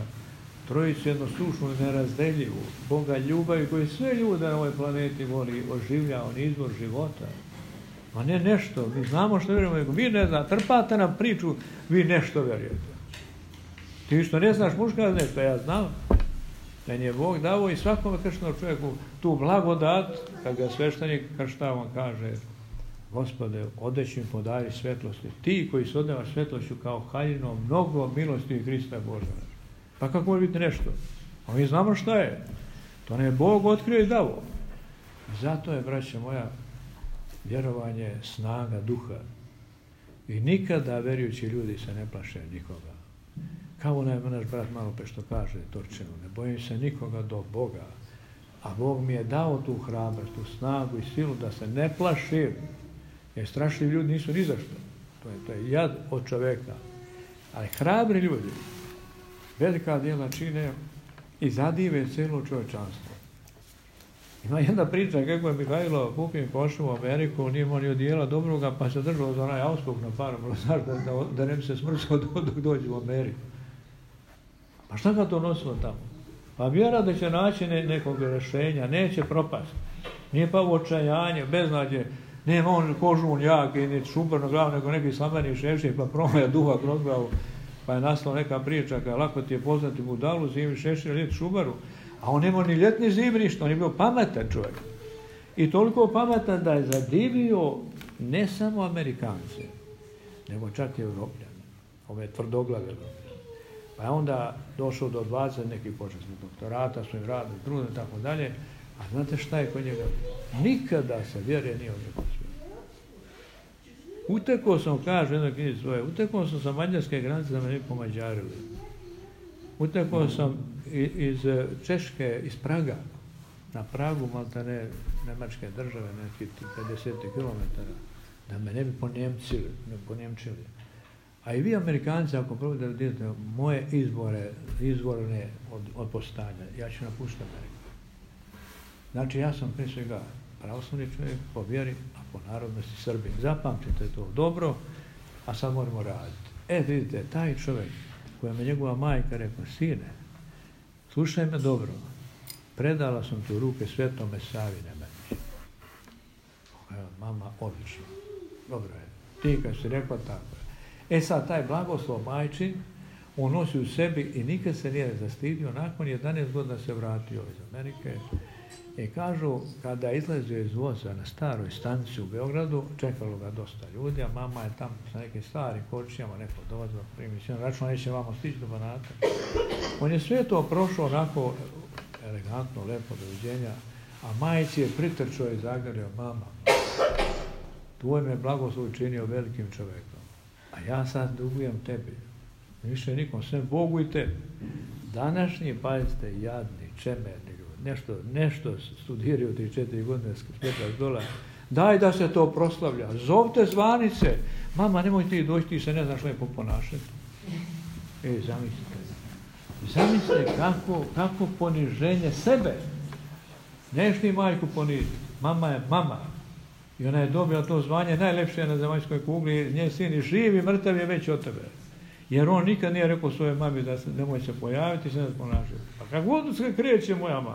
trojicu jednosušnu i nerazdeljivu, Boga ljubavi koji sve ljude na ovoj planeti voli, oživlja, on izvor života. A ne nešto, mi znamo što vjerujemo, vi ne znate, trpate nam priču, vi nešto vjerujete. Ti što ne znaš muška nešto, ja znam. Meni je Bog dao i svakome krštenom čovjeku tu blagodat, kad ga sveštenik kršta, on kaže, Gospode, odeći mi podari svetlosti. Ti koji se odnevaš svetlošću kao haljinom, mnogo milosti i Hrista Boža. Pa kako može biti nešto? A mi znamo šta je. To ne je Bog otkrio i dao. Zato je, braćo moja, vjerovanje snaga duha. I nikada vjerujući ljudi se ne plaše nikoga. Kao onaj naš brat malo pe što kaže, Torčinu, ne bojim se nikoga do Boga. A Bog mi je dao tu hrabrost, tu snagu i silu da se ne plašim. Jer strašni ljudi nisu ni zašto. To je jad od čoveka. Ali hrabri ljudi velika djela čine i zadive cijelo čovječanstvo. Ima jedna priča kako je Mihajlo Pupin pošao u Ameriku, nije imao ni od dijela dobroga, pa se držao za onaj auspuh na paru, da ne bi se smrcao dok dođe u Ameriku. Pa šta ga to nosilo tamo? Pa vjera da će naći nekog rješenja, neće propasti. Nije pa u očajanje, beznađe, nema on kožun jak i ni šubar na glavu, nego neki slameni šešir, pa promaja duha kroz glavu. Pa je nastala neka priča, kada lako ti je poznati budalu, zimi šešir, ljeti šubaru, a on nema ni ljetni zimi ništa, on je bio pametan čovjek. I toliko pametan da je zadivio ne samo Amerikance, nego čak i Europljane, ove tvrdoglave Europljane. Pa je onda došao do 20 nekih počasnih doktorata, svojim radom, trudom i tako dalje, a znate šta je kod njega? Nikada se vjere nije odrekao svijetu. Utekao sam, kaže u jednoj knjizi svoje, utekao sam sa mađarske granice da me ne pomađarili. Utekao sam iz Češke, iz Praga, na Pragu, maltene Nemačke države, nekih 50 km, da me ne bi ponjemčili. A i vi Amerikanci, ako probate da vidite moje izvorne od postanja, ja ću napustiti Ameriku. Znači, ja sam prije svega pravoslavni čovjek po vjeri, a po narodnosti Srbin. Zapamtite to dobro, a sad moramo raditi. Vidite, taj čovjek kojem je njegova majka rekla, sine, slušaj me dobro, predala sam tu ruke Svetome Savi Nemanjiću. Mama, odlično, dobro je, ti kad si rekla tako je. Sad, taj blagoslov majčin, on nosi u sebi i nikad se nije zastidio, nakon 11 godina se vratio iz Amerike. I kažu, kada je izlazio iz voza na staroj stanici u Beogradu, čekalo ga dosta ljudi, a mama je tamo sa nekim starim kočijama, neko dolazio, primicijom, računa neće vamo stići do Banata. On je sve to prošao onako elegantno, lepo doviđenja, a majici je pritrčao i zagrio, mama, tvoj me blagoslov učinio velikim čovekom, a ja sad dugujem tebi, više nikom, sve Bogu i tebi. Današnji, pazite, jadni, čemerni ljudi, nešto studiraju 3-4 godine s $5, daj da se to proslavlja, zovte zvanice, mama nemoj ti doći, ti se ne znaš lepo ponašati. Zamislite kako poniženje sebe. Neš ti majku poniziti, mama je mama. I ona je dobila to zvanje najlepše na zemaljskoj kugli, njen sin i živ i mrtav je već od tebe. Jer on nikad nije rekao svojoj mami da se nemoj se pojaviti, se ne ponašati. Pa kako god se kreće moja mama?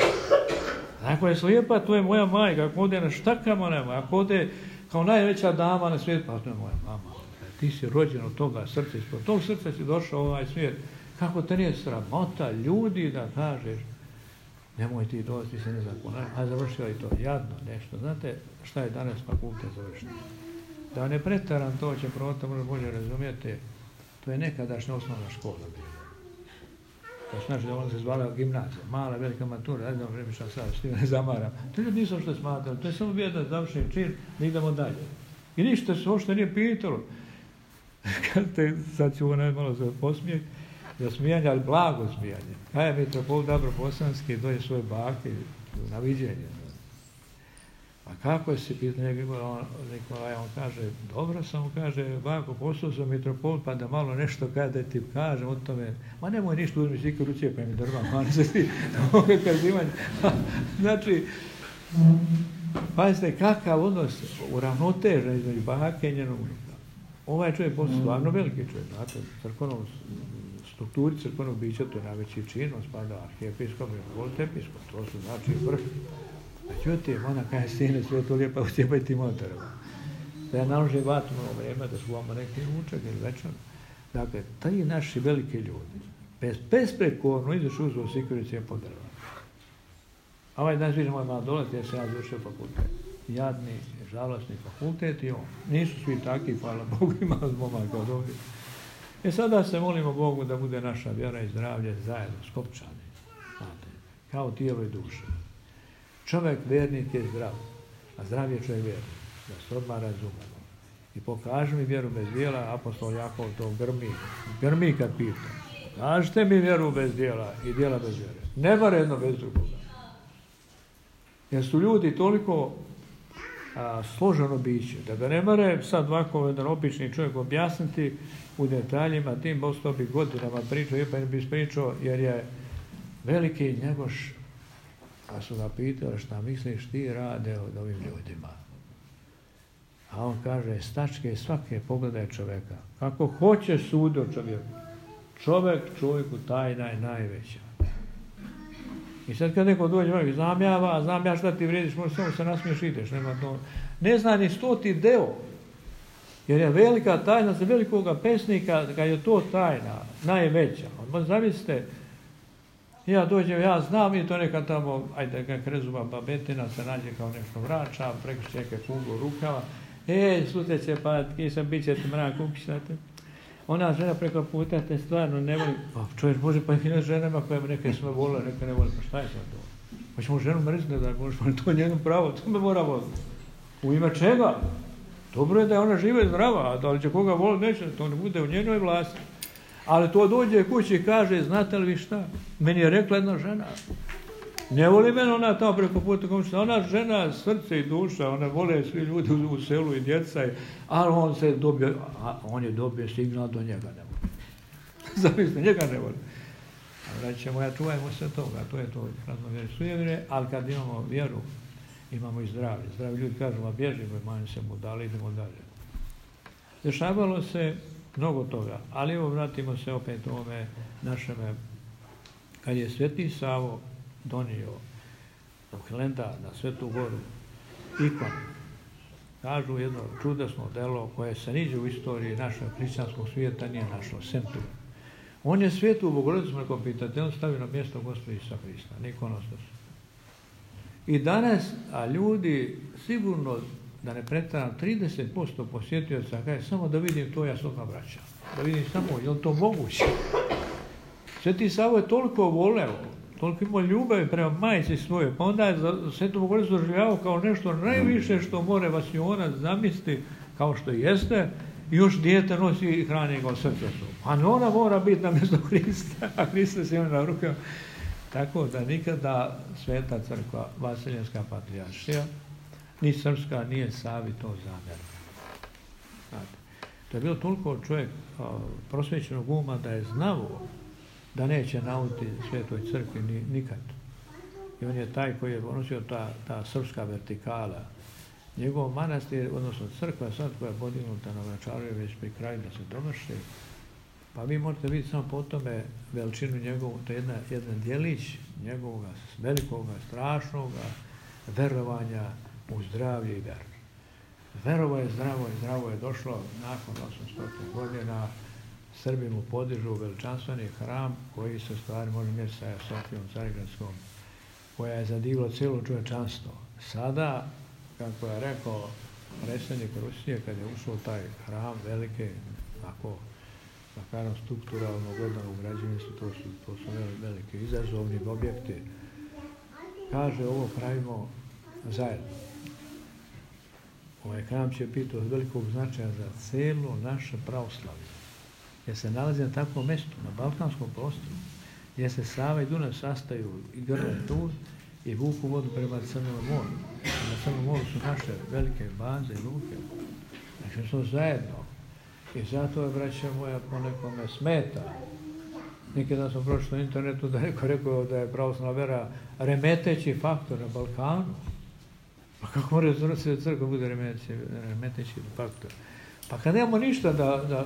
Ako je slijepa, to je moja majka. Ako ode na štakama, nema. Ako ode kao najveća dama na svijet, pa to je moja mama. Ti si rođen od toga srca, ispod tog srca si došao u ovaj svijet. Kako te nije sramota ljudi da kažeš nemoj ti doći, ti se ne znam ponašati. A završio i to jadno nešto. Znate šta je danas fakultet završeno? Da ne pretaram to, će prota možda bolje razumijete. To je nekadašnja osnovna škola bila. To znači da ona se zvala gimnazija, mala, velika matura, ne znam vremišam sad, s tim ne zamaram. To ljudi nisu što smatrali, to je samo bio jedan završen čin, da idemo dalje. I ništa se uopšte nije pitalo. Sad ću ovo malo za posmijeh, za smijanje, ali blago smijanje. Kaj je mitropolit Dobro-Bosanski, doje svoje bake na viđenje. A kako si pitanje Nikolaj, on kaže, dobro sam, kaže, bako, postao sam mitropolit, pa da malo nešto kada ti kažem o tome, ma nemoj ništa, uzmi si ikad rucije, pa mi drva, mani se ti, ovoga kazivanja. Znači, pazite, kakav odnos uravnotežen između bake i njenog unuka. Ovaj čovjek postao stvarno veliki čovjek, znate, strukturi crkvenog bića, to je najveći čin, on spada arhijepiskop, episkop, to su znači vrh. Međutim, ona kaže, sine, sve to lijepo, ucijepaj ti motorima. Da je naloži vatno vreme, da su vama neki ručak ili večer. Dakle, ti naši veliki ljudi, besprekorno izašu uzvo Sikirice po drva. A ovaj dan svi moj malo dolaziti, jer se ja završio fakultet. Jadni, žalostni fakultet i on. Nisu svi takvi, hvala Bogu, ima momaka od ovdje. Sada se molimo Bogu da bude naša vjera i zdravlje zajedno, skopčani. Znate, kao tijelo i duša. Čovjek vjernik je zdrav, a zdrav je čovjek vjernik, da se odmah razumemo. I pokaži mi vjeru bez djela, apostol Jakov to grmi kad pita. Kažite mi vjeru bez djela i djela bez vjere. Ne mora jedno bez drugoga. Jer su ljudi toliko složeno biće, da ga ne mora sad ovako jedan obični čovjek objasniti u detaljima, tim ostao bi godinama pričao, i pa ne bi ispričao, jer je veliki Njegoš. A su ga pitali šta misliš ti rade od ovim ljudima. A on kaže, stačke svake pogledaj čovjeka. Kako hoće sudi o čovjeku. Čovjek čovjeku tajna je najveća. I sad kad neko dođe i zamjava, a znam ja šta ti vrediš, možda samo se nasmiješ i ideš. Ne zna ni 100 deo. Jer je velika tajna za velikoga pesnika, kad je to tajna, najveća. Zamislite, ja dođem, ja znam i to neka tamo, ajde, kak rezuma babetina se nađe kao nešto vrača, preko čeke kugu rukava. Sluteće, pa kisam, bit će ti mrak, upišate. Ona žena preko puta te stvarno ne voli. Pa čovjek može, pa i ženama koje neke sve vole, neke ne vole, pa šta je sad to? Pa ćemo ženu mrziti da možeš, pa to je njeno pravo, to me mora voliti. U ime čega? Dobro je da je ona živa i zdrava, a da li će koga voliti, neće, to ne bude u njenoj vlasti. Ali to dođe kući i kaže, znate li vi šta? Meni je rekla jedna žena. Ne voli mene ona tamo preko puta komšina. Ona žena, srce i duša, ona vole svi ljudi u selu i djeca. Ali on je dobio signal do njega ne voli. Zamislite, njega ne voli. Ali ćemo, ja čuvajmo se toga, to je to raznovjeri sujevire, ali kad imamo vjeru, imamo i zdravlje. Zdravi ljudi kažu, a bježimo, manj se mu dali, idemo dalje. Dešavalo se mnogo toga, ali evo vratimo se opet ovome našeme, kad je Sveti Savo donio u Hilandar na Svetu Goru ikonu, kažu jedno čudesno delo koje se niđe u istoriji našeg hrišćanskog svijeta nije našlo, sem tu. On je Svetu Bogorodicu mreko pitati, on stavio na mjesto Gospoda Isusa Hrista, nikonostas. I danas, a ljudi sigurno, da ne pretaram, 30% posjetioca kaže, samo da vidim to, ja se odmah vraćam. Da vidim samo, je li to moguće? Sveti Savo je toliko voleo, toliko imao ljubavi prema majci svoje, pa onda je Svetu Bogorodicu doživljavao kao nešto najviše što more vasionac zamisliti, kao što jeste, i još dijete nosi i hrani ga od srca. A ona mora biti na mjesto Hrista, a Hrista se ima na rukama. Tako da nikada Sveta crkva, Vaseljenska patrijaršija, ni srpska, nije Savi to zamjerna. To je bilo toliko čovjek prosvećenog uma da je znao da neće nauditi Svetoj crkvi nikad. I on je taj koji je donosio ta srpska vertikala. Njegov manastir, odnosno crkva sad koja je podignuta na Vračaru je već pri kraju da se dovrši. Pa vi možete vidjeti samo po tome veličinu njegovu, to je jedan djelić njegovog velikoga, strašnoga verovanja u zdravlje i veru. Verovo je zdravo i zdravo je došlo nakon 800 godina. Srbi mu podižu veličanstveni hram koji se stvari može mjeriti sa Sofijom Carigradskom, koja je zadivila cijelo čovječanstvo. Sada, kako je rekao predsjednik Rusije, kad je ušao taj hram velike, ako da kažem strukturalno gledano u građevinstvu, to su veliki izazovni objekti. Kaže, ovo pravimo zajedno. Ovaj hram će biti od velikog značaja za cijelo naše pravoslavlje, jer se nalazi na takvom mjestu, na balkanskom prostoru, gdje se Sava i Dunav sastaju i grle tu i vuku vodu prema Crnom moru. Na Crnom moru su naše velike baze i luke. Znači, smo zajedno. I zato je, braća moja, po nekome smeta. Nikada sam pročitao na internetu da neko rekao da je pravoslavna vera remeteći faktor na Balkanu. Pa kako mora crkva bude remeteći faktor? Pa kad nemamo ništa da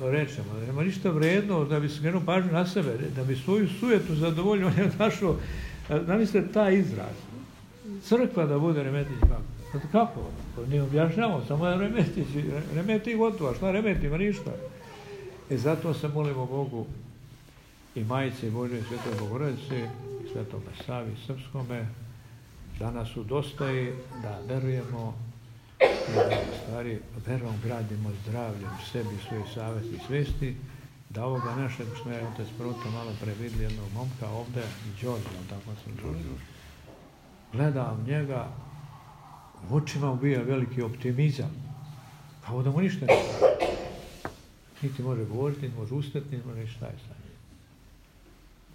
rečemo, da nemamo ništa vredno, da bi skrenuo pažnju na sebe, da bi svoju sujetu zadovoljio, on je našao, zamislite taj izraz, crkva da bude remeteći faktor. Kako? Ne objašnjamo, samo je remeti gotovo, šta remetima, ništa. I zato se molimo Bogu i Majici Božje, Svetoj Bogorodici, i Svetom Savi Srpskome, da nas udostoji, da verujemo i da stvari verom gradimo zdravlje u sebi, svojih savjesti i svesti, da ovoga našeg, što je otac Proto malo pre vidjeli jednog momka ovdje, i Đorđe, tako sam čuo. Gledam njega, u očima ubija veliki optimizam, kao da mu ništa ne pravi. Niti može govoriti, niti može ustati, niti može šta je sa njim.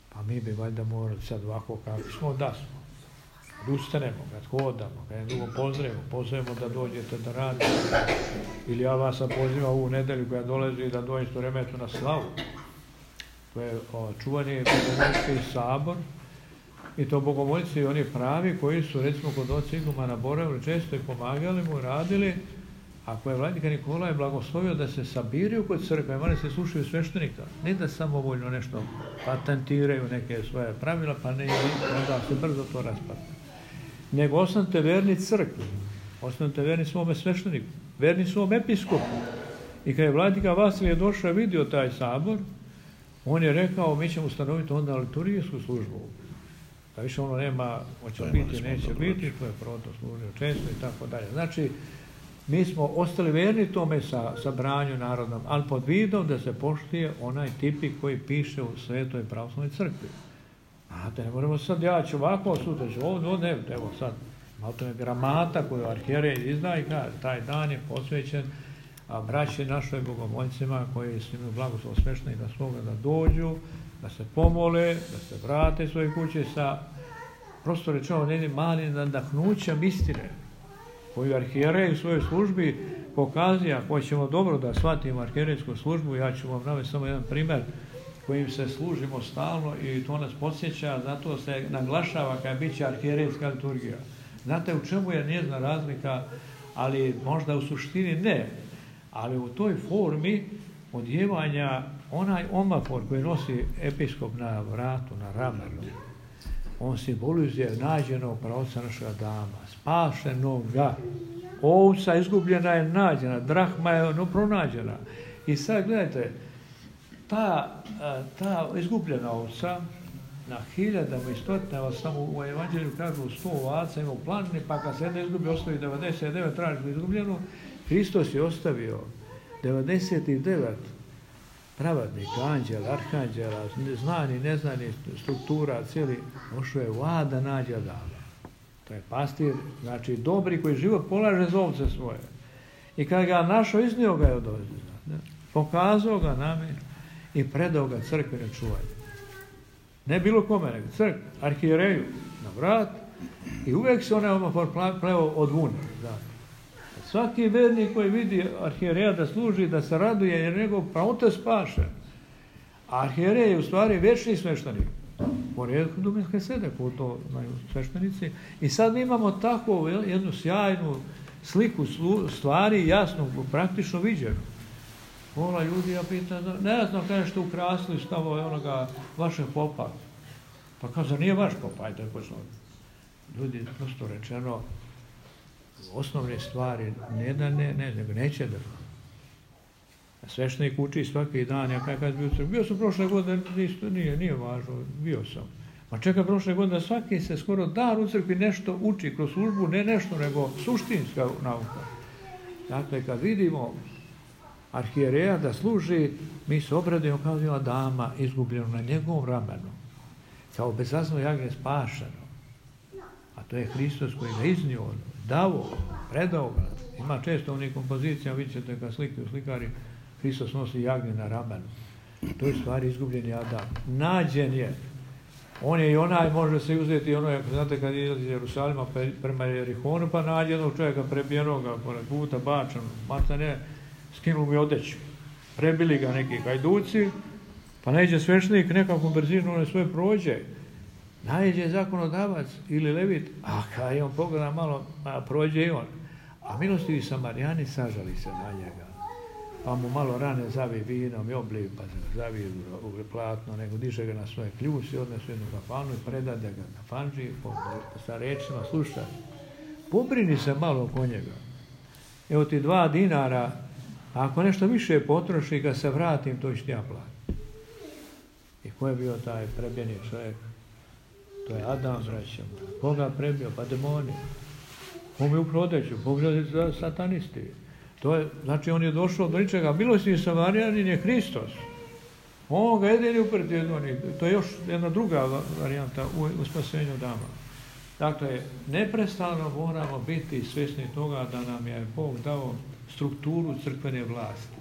Pa mi bi valjda morali sad ovako kako smo, da smo. Ustanemo, kad hodamo, kad je drugo pozdravimo da dođete da radite. Ili ja vas pozivam ovu nedelju koja dolazi da dođete u Remetu na slavu. To je čuvani bogomolski sabor. I to bogomolci, oni pravi koji su recimo kod oca igumana boravili često i pomagali mu, radili. Ako je vladika Nikolaj blagoslovio da se sabiraju kod crkve, oni se slušaju sveštenika. Ne da samovoljno nešto patentiraju neke svoje pravila, pa ne onda se brzo to raspadne. Nego ostanite verni crkvi, ostanite verni svome svešteniku, verni svom episkopu. I kad je vladika Vasilije došao i vidio taj sabor, on je rekao, mi ćemo ustanoviti onda liturgijsku službu. Da više ono nema, hoće biti, neće biti, to je Proto služio često i tako dalje. Znači, mi smo ostali verni tome sabranju narodnom, ali pod vidom da se poštuje onaj tipik koji piše u Svetoj pravoslavnoj crkvi. Znate, ne moramo sad, ja ću ovako, sutra ću ovdje, evo sad, malo to je gramata koju arhijerej izda i kaže, taj dan je posvećen braći našoj bogomoljcima koji su imaju blagoslov sveštenika svoga da dođu, da se pomole, da se vrate svoje kuće sa, prosto rečeno, jednim malim nadahnućem istine, koju arhijerej u svojoj službi pokazuje. Ako ćemo dobro da shvatimo arhijerejsku službu, ja ću vam navesti samo jedan primjer kojim se služimo stalno i to nas podsjeća, zato se naglašava kada bit će arhijerejska liturgija. Znate u čemu je njezna razlika, ali možda u suštini ne, ali u toj formi odjevanja onaj omafor koji nosi episkop na vratu, na ramenu, on simbolizuje nađenog pravca našega Adama, spašenoga. Ovca izgubljena je nađena, drahma je pronađena. I sad gledajte, ta izgubljena ovca na hiljadama i stotinama, samo u evanđelju kažu 100 ovaca ima u planini, pa kad se jedna izgubi, ostavi 99, traži izgubljenu. Hristos je ostavio 99 pravadnika, anđela, arhanđela, znani, neznani struktura, cijeli, došao je Ad da nađe Adama. To je pastir, znači dobri koji život polaže za ovce svoje. I kad ga našao, iznio ga je od ovce. Pokazao ga nami i predao ga crkvi na čuvanje. Ne bilo kome, nego crkvi, arhijereju na vrat i uvijek se onaj omafor pleo od vune. Svaki vernik koji vidi arhijereja da služi, da se raduje, jer njegov pravota spašen. A arhijerej je u stvari vječni sveštenik. Po redu Duminske sede, ko to znaju sveštenici. I sad mi imamo takvu jednu sjajnu sliku stvari, jasno, praktično viđenu. Pola ljudi, ja pitam, ne znam kada što ukrasili stavo onoga vašeg popa. Pa kao, zar nije vaš pop, ajde, ljudi, prosto rečeno, osnovne stvari, nego neće da. Sveštenik uči svaki dan, ja kad bio sam prošle godine, nije važno, bio sam. Ma čekaj, prošle godine svaki se skoro dan u crkvi nešto uči kroz službu, ne nešto, nego suštinska nauka. Dakle, kad vidimo arhijereja da služi, mi se obradujemo kao bila dama izgubljeno na njegovom ramenu, kao bezazno jagnje spašeno. A to je Hristos koji ga iznio, dao, predao ga. Ima često u onih kompozicijama, vidjet ćete kad slikari, Hristos nosi jagnje na ramenu. To je stvari izgubljeni Adam. Nađen je. On je i onaj, može se uzeti ono, znate kad je iz Jerusalima prema Jerihonu, pa nađe jednog čovjeka prebijenoga, pored puta, bačan, maca ne, skinuli mi odeću. Prebili ga neki hajduci, pa nađe sveštenik nekakvom brzinu, on svoje prođe. Nađe zakonodavac ili levit, a kad je on pogleda malo, prođe i on. A milostivi Samarijani sažali se na njega. Pa mu malo rane zavi vinom i obliv, pa se zavi u platno, nego diže ga na svoje kljuse, odnesu jednu kafanu i predade ga kafanđi, sa rečima, slušaj, pobrini se malo oko njega. Evo ti 2 dinara, a ako nešto više potroši, kad se vratim, to ću ti ja platiti. I ko je bio taj prebijeni čovjek? To je Adam, braćom. Koga prebio? Pa demoni. Ko mi ukrao odeću? Pogledaj satanisti. To je, znači on je došao do ničega. Milostivi Samarijanin je Hristos. On ga jedini uprti jedni. To je još jedna druga varijanta u spasenju dama. Dakle, neprestano moramo biti svjesni toga da nam je Bog dao strukturu crkvene vlasti.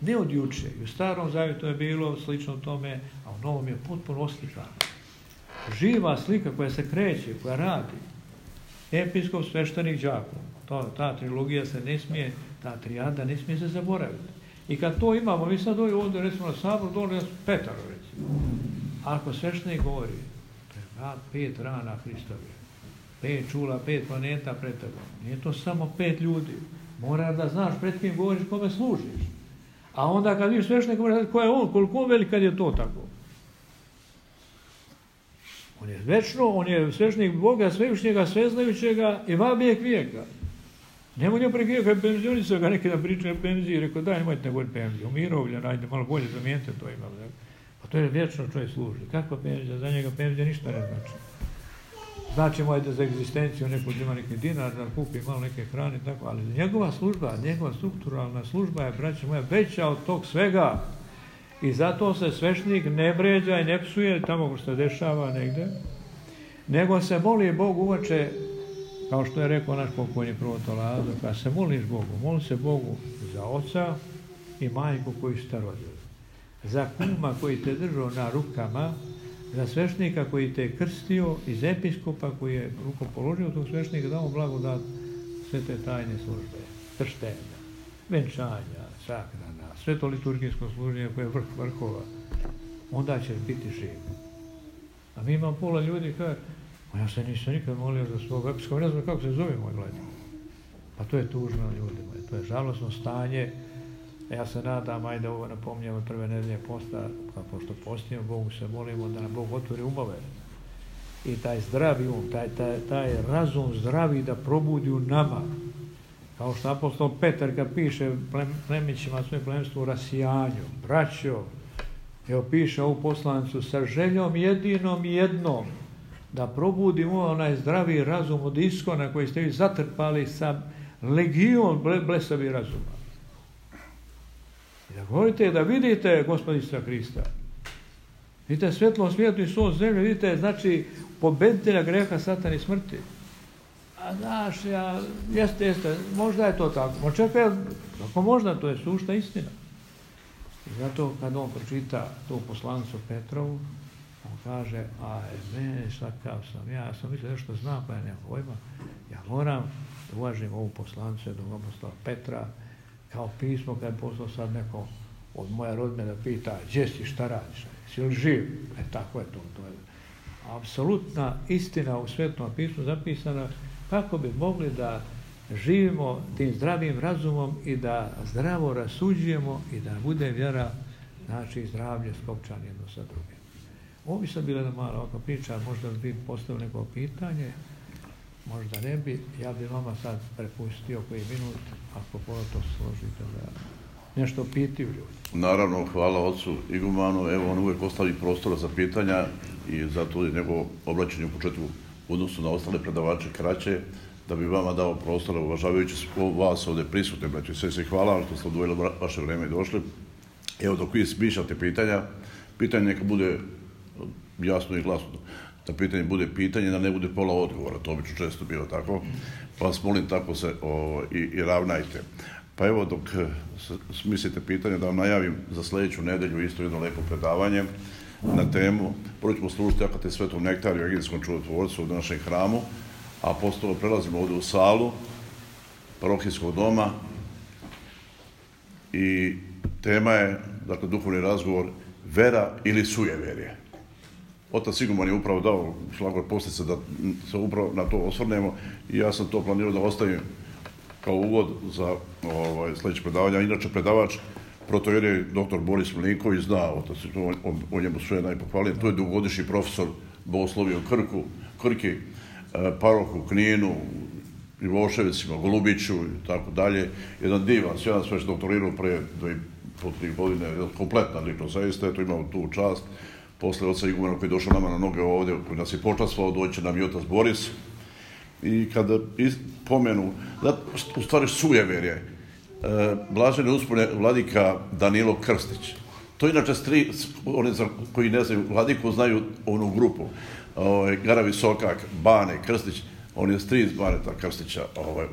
Ne od juče. U Starom Zavjetu je bilo slično tome, a u Novom je potpuno oslikano. Živa slika koja se kreće, koja radi. Episkop, sveštenik, đakon. Ta trilogija se ne smije, ta trijada ne smije se zaboraviti. I kad to imamo, mi sad ovdje recimo na sabor, dole Petaro recimo. Ako sveštenik govori, to je 5 rana Hristovih, 5 čula, 5 planeta pred tebom. Nije to samo 5 ljudi. Mora da znaš pred kim govoriš, kome služiš. A onda kad vidiš sveštenik govori, ko je on, koliko veli kad je to tako. On je večno, on je sveštenik Boga, svevišnjega, sveznajućega i vabijeg vijeka. Nemoj njoj prekrijeva, kad je penzionica ga neki da pričaju o penziji, rekao daj, nemojte govoriti penziju, umirovljen, ajde malo bolje zamijenite to imali. Pa to je vječno čovjek služi. Kakva penzija? Za njega penzija ništa ne znači. Znači mu ajde za egzistenciju, neko ima neki dinar, da kupi malo neke hrane, tako, ali njegova služba, njegova strukturalna služba je, braće moja, veća od tog svega. I zato se sveštenik ne vređa i ne psuje tamo što se dešava negde, nego se moli Bogu uvače, kao što je rekao naš pokojni prvoto Lazo, kad se moliš Bogu, moli se Bogu za oca i majku koji su te rodili, za kuma koji te držao na rukama, za sveštenika koji te je krstio i za episkopa koji je rukom položio tog sveštenika, dao blagodat sve te tajne službe, krštenja, venčanja, sahrana, sve to liturgijsko služenje koje je vrh vrhova, onda će biti živ. A mi imamo pola ljudi kaže, ja se nisam nikad molio za svog episkopa, ne znam kako se zove moj gledaj. Pa to je tužno ljudima, to je žalosno stanje. Ja se nadam, ajde ovo napominjamo prve nedelje posta, pošto postimo, Bogu se molimo da nam Bog otvori umove. I taj zdravi um, taj razum zdravi da probudi u nama. Kao što apostol Petar kad piše plemićima svoje plemstvo u rasijanju, braćo, evo piše ovu poslanicu, sa željom jedinom i jednom, da probudimo onaj zdravi razum od iskona koji ste vi zatrpali sa legijom blesavi razuma. I da govorite, da vidite Gospodistva Hrista. Vidite svjetlo svijetu i sol zemlje, vidite, znači, pobeditelja greha, satana i smrti. A znaš, jeste, možda je to tako. Čekaj, ako možda, to je sušta istina. I zato kad on pročita tu poslanicu Petrovu, on kaže, a mene, kakav sam, ja sam mislio nešto znam, pa ja nemam pojma, ja moram da uvažimo ovu poslanicu jednog apostola Petra, kao pismo kad je poslao sad neko od moja rodbina da pita gdje si, šta radiš, si li živ? Tako je to. To je apsolutna istina u Svetom pismu zapisana kako bi mogli da živimo tim zdravim razumom i da zdravo rasuđujemo i da bude vjera, znači zdravlje skopčan jedno sa drugim. Ovo bi sad bila jedna mala ovakva priča, možda bi postavili neko pitanje, možda ne bi, ja bi vama sad prepustio koji minut, ako puno to složite da nešto pitaju ljudi. Naravno, hvala ocu igumanu, evo on uvijek ostavi prostora za pitanja i zato je njegovo obraćanje u početku u odnosu na ostale predavače kraće, da bi vama dao prostora, uvažavajući vas ovdje prisutne, braći i sestri, hvala vam što ste odvojili vaše vrijeme i došli. Evo, dok vi smišljate pitanje neka bude jasno i glasno. Da pitanje bude pitanje, da ne bude pola odgovora, to bi često bilo tako, pa vas molim tako se i ravnajte. Pa evo, dok smislite pitanje, da vam najavim za sljedeću nedelju isto jedno lepo predavanje na temu. Prvo ćemo služiti akate Svetom Nektariju i Evanđelskom čudotvorcu u našem hramu, a posto prelazimo ovdje u salu parohijskog doma i tema je, dakle, duhovni razgovor, vera ili sujeverje. Otac Iguman je upravo dao šlagvort posljedice da se upravo na to osvrnemo i ja sam to planirao da ostavim kao uvod za sljedeće predavanje. Inače, predavač protoijerej dr. Boris Milinković zna, otac, o njemu sve najpohvalnije, to je dugogodišnji profesor bogoslovije u Krki, paroh u Kninu, Ivoševicima, Golubiću i tako dalje. Jedan divan, sjajan, sve što doktorirao pre 2,5-3 godine, kompletna ličnost, zaista je to imao tu čast. Posle oca igumana koji je došao nama na noge ovdje, koji nas je počastvao, doći nam i otac Boris. I kada pomenu, u stvari sujeverje, blažene uspone vladika Danilo Krstić. To inače oni koji ne znaju vladiku znaju onu grupu. Garavi Sokak, Bane, Krstić, on je stric Baneta Krstića,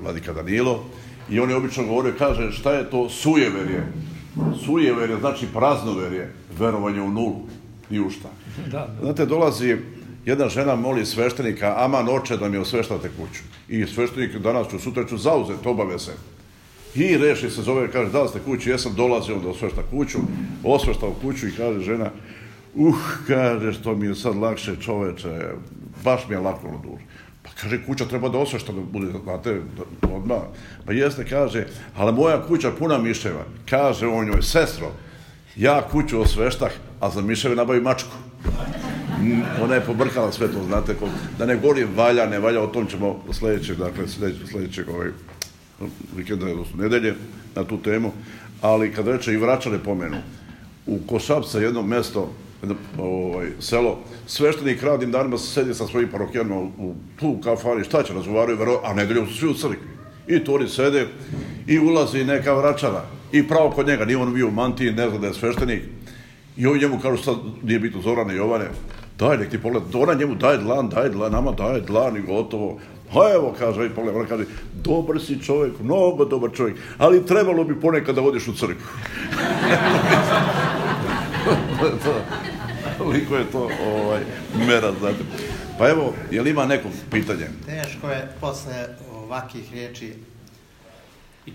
vladika Danilo. I on je obično govorio, kaže, šta je to sujeverje? Sujeverje znači praznoverje, verovanje u nulu i u šta. Znate, dolazi jedna žena, moli sveštenika, aman oče da mi osveštate kuću. I sveštenik danas ću, sutra ću zauzeti, obaveze. I reši se zove, kaže, da li ste kući, jesam, dolazio da osvešta kuću, osveštao kuću i kaže žena, kaže, što mi je sad lakše, čoveče, baš mi je lako na dušu. Pa kaže, kuća treba da osvešta, da bude, znate, odmah. Pa jeste, kaže, ali moja kuća puna miševa. Kaže on njoj, sestro, ja kuću osveštah, a za miševe nabavi mačku. Ona je pobrkala sve to, znate, da ne govori valja, ne valja, o tom ćemo sljedećeg vikenda, odnosno nedelje, na tu temu, ali kad reče i Vračane pomenu, u Košapca jedno mjesto, selo, sveštenik radnim danima se sedi sa svojim parohijanima tu u kafani, šta će razgovaraju, a nedeljom su svi u crkvi. I tu oni sede i ulazi neka Vračana i pravo kod njega, nije on bio u mantiji, ne zna da je sveštenik, i ovi njemu kažu, sad nije bitno Zorane i Jovane, daj, nek ti pogled, ona njemu daje dlan, nama daje dlan i gotovo. A evo, kaže, ovaj pogled, ona kaže, dobar si čovjek, mnogo dobar čovjek, ali trebalo bi ponekad da odiš u crkvu. Toliko je to mera, znate. Pa evo, je li ima neko pitanje? Teško je posle ovakvih riječi i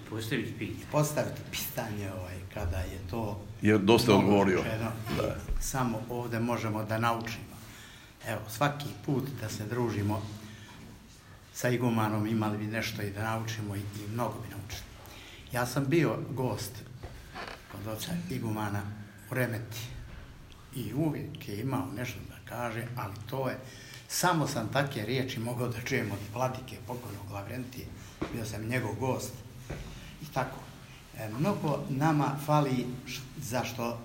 postaviti pitanje kada je to... Jer dosta odgovorio. Samo ovdje možemo da naučimo. Evo, svaki put da se družimo sa igumanom imali bi nešto i da naučimo i mnogo bi naučili. Ja sam bio gost kod oca igumana u Remeti i uvijek je imao nešto da kaže, ali to je, samo sam takve riječi mogao da čujem od vladike pokojnog Lavrentije, bio sam njegov gost i tako. Mnogo nama fali zašto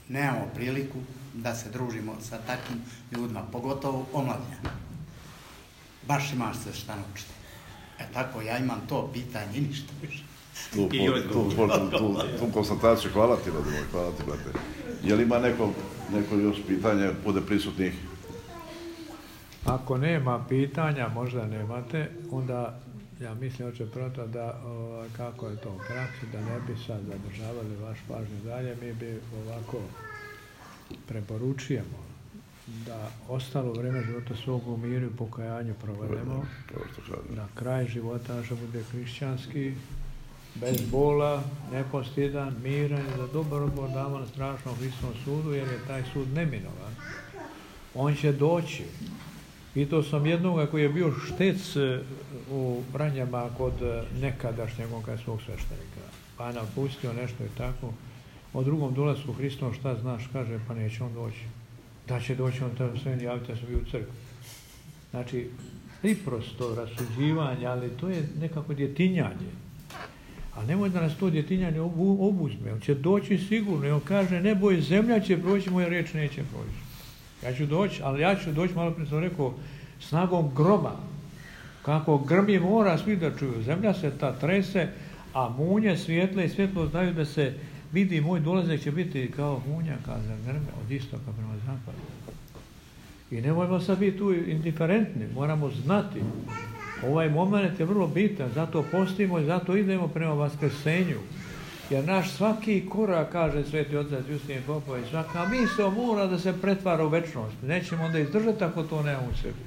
nemamo priliku da se družimo sa takvim ljudima, pogotovo omladnja. Baš imaš se šta naučiti. Tako, ja imam to pitanje i ništa više. Tu konstataciju, hvala ti, brate. Je li ima neko još pitanje, bude prisutnih? Ako nema pitanja, možda nemate, onda ja mislim, oče Proto, da kako je to u praksi, da ne bi sad zadržavali vaš pažnju dalje, mi bi ovako preporučujemo da ostalo vreme života svog u miru i pokajanju provedemo, da kraj života naša bude hrišćanski, bez bola, nepostidan, miran i da dobar odgovor damo na strašnom Hristovom sudu, jer je taj sud neminovan. On će doći. Pitao sam jednoga koji je bio štec u Vranjama kod nekadašnjeg onkajskog sveštenika. Pa je nam pustio nešto i tako. O drugom dolasku Hristovom šta znaš, kaže, pa neće on doći. Da će doći, on treba sve javiti, ja sam bio u crkvi. Znači, priprosto rasuđivanje, ali to je nekako djetinjanje. A nemoj da nas to djetinjanje obuzme. On će doći sigurno i on kaže, ne boj, zemlja će proći, moja riječ neće proći. Ja ću doći, ali ja ću doći, malo prije sam rekao, snagom groma. Kako grmi mora, svi da čuju. Zemlja se ta trese, a munje svijetle i svjetlo znaju da se vidi, moj dolazak će biti kao munja, kao grme, od istoka prema zapadu. I nemojmo sad biti tu indiferentni, moramo znati. Ovaj moment je vrlo bitan, zato postimo i zato idemo prema vaskrsenju. Jer naš svaki korak, kaže sveti otac Justin Popović, svaka misao mora da se pretvara u večnost. Nećemo onda izdržati ako to nema u sebi.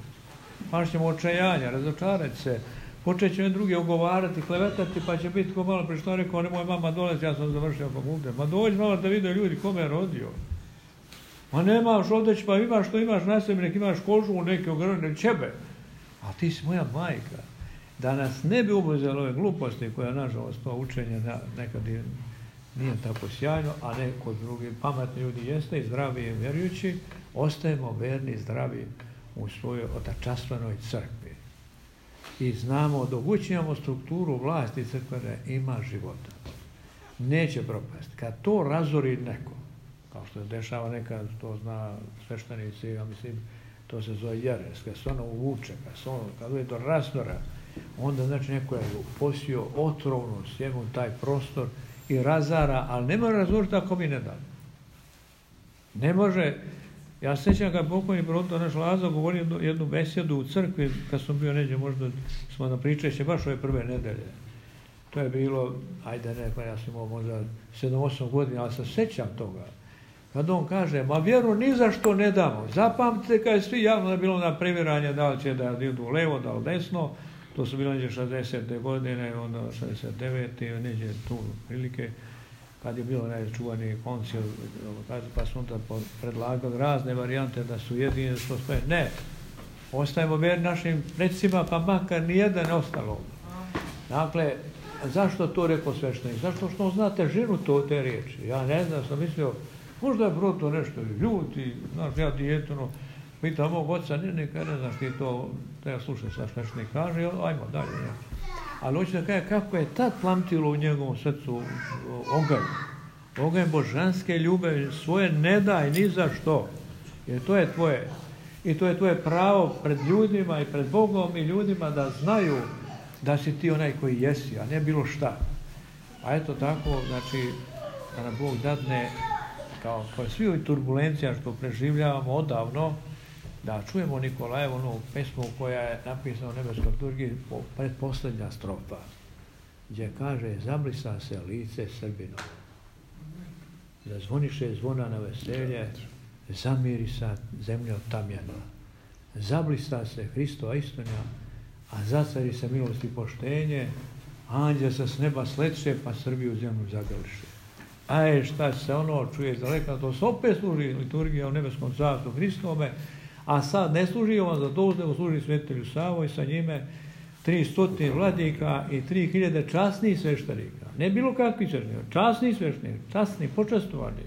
Pa ćemo očajanja, razočarati se, počet će druge ugovarati, klevetati, pa će biti ko malo prije što rekao, nemoj mama dolazi, ja sam završio fakultet. Ma dođi malo da vide ljudi kome je rodio. Ma nemaš odeć, pa imaš što imaš na sebi, nek imaš kožu, neke ograne čebe. A ti si moja majka. Da nas ne bi obuzelo ove gluposti koja, nažalost, to učenje nekad nije tako sjajno, a ne kod drugih pametni ljudi jeste i zdravi i vjerujući, ostajemo verni i zdravi u svojoj otačastvenoj crkvi. I znamo, dok učinjamo strukturu vlasti crkvene, ima života. Neće propasti. Kad to razori neko, kao što se dešava nekad, to zna sveštenici, ja mislim, to se zove jeres, kad se ono uvuče, kad je do razdora, onda znači neko je posio otrovnu sjemu taj prostor i razara, ali ne može razoriti ako mi ne da. Ne može. Ja se sjećam kad pokojni proto naš Lazo govorio jednu besjedu u crkvi, kad sam bio neđe, možda smo na pričeće baš ove prve nedelje. To je bilo, ajde ne, pa ja sam imao možda 7-8 godina, ali se sjećam toga. Kad on kaže, ma vjeru ni za što ne damo. Zapamtite kad je svi javno je bilo na previranje da li će da idu levo, da li desno. To su bilo neđe 60. godine, onda 69. neđe tu prilike. Kad je bilo najčuvani koncil, pa su onda predlagali razne varijante da su jedini, da su sve. Ne, ostajemo vjerni našim predsima, pa makar nijedan ostalo. Dakle, zašto to rekao sveštenik? Zašto što on zna težinu te riječi? Ja ne znam, sam mislio, možda je proto nešto ljuti, znaš, ja dijetno, pitam mog oca, ne znaš ti to, treba slušati šta sveštenik kaže, ajmo dalje. Ali hoću da kaže kako je tad plamtilo u njegovom srcu oganj božanske ljubavi, svoje ne daj ni za što, jer to je tvoje. I to je tvoje pravo pred ljudima i pred Bogom i ljudima da znaju da si ti onaj koji jesi, a ne bilo šta. A eto tako, znači, da nam Bog dadne, kao svi ovi turbulencija što preživljavamo odavno, da čujemo Nikolajevu onu pesmu koja je napisana u nebeskoj liturgiji, predposlednja strofa, gdje kaže, zablisa se lice Srbino, zazvoniše zvona na veselje, zamiri sa zemlja tamjana, zablista se Hristova istina, a zacari se milost i poštenje, anđel sa s neba sletše, pa Srbiju zemlju zagališe. A šta se ono čuje iz daleka, to se opet služi liturgija u nebeskom carstvu Hristove, a sad ne služi on za to, nego služi svetelju Savo i sa njime 300 vladika i 3000 časnih sveštenika. Ne bilo kakvi sveštenika, časni sveštenika, časni, počastovani.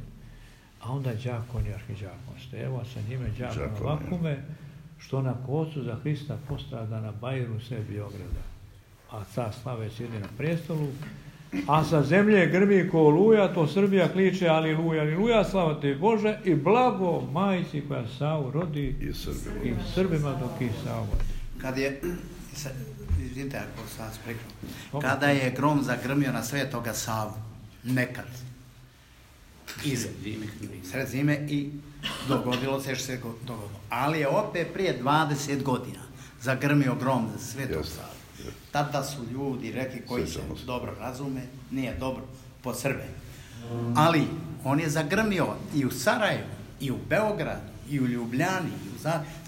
A onda đakon i arhiđakon Stevo, sa njime đakon Vakume, što na kocu za Hrista postrada na Bajru sve Biograda. A car slave sjedi na prestolu, a sa zemlje grmi ko oluja, to Srbija kliče aliluja, aliluja, slava te Bože i blago majci koja Savu rodi i Srbima dok i Savu rodi. Kad je, vidite ako sam vas prekao, kada je grom zagrmio na Svetoga Savu, nekad, sred zime i dogodilo se što se dogodilo. Ali je opet prije 20 godina zagrmio grom za Svetog Savu. Tada su ljudi rekli koji se dobro razume, nije dobro po Srbe. Ali on je zagrmio i u Sarajevu, i u Beogradu, i u Ljubljani.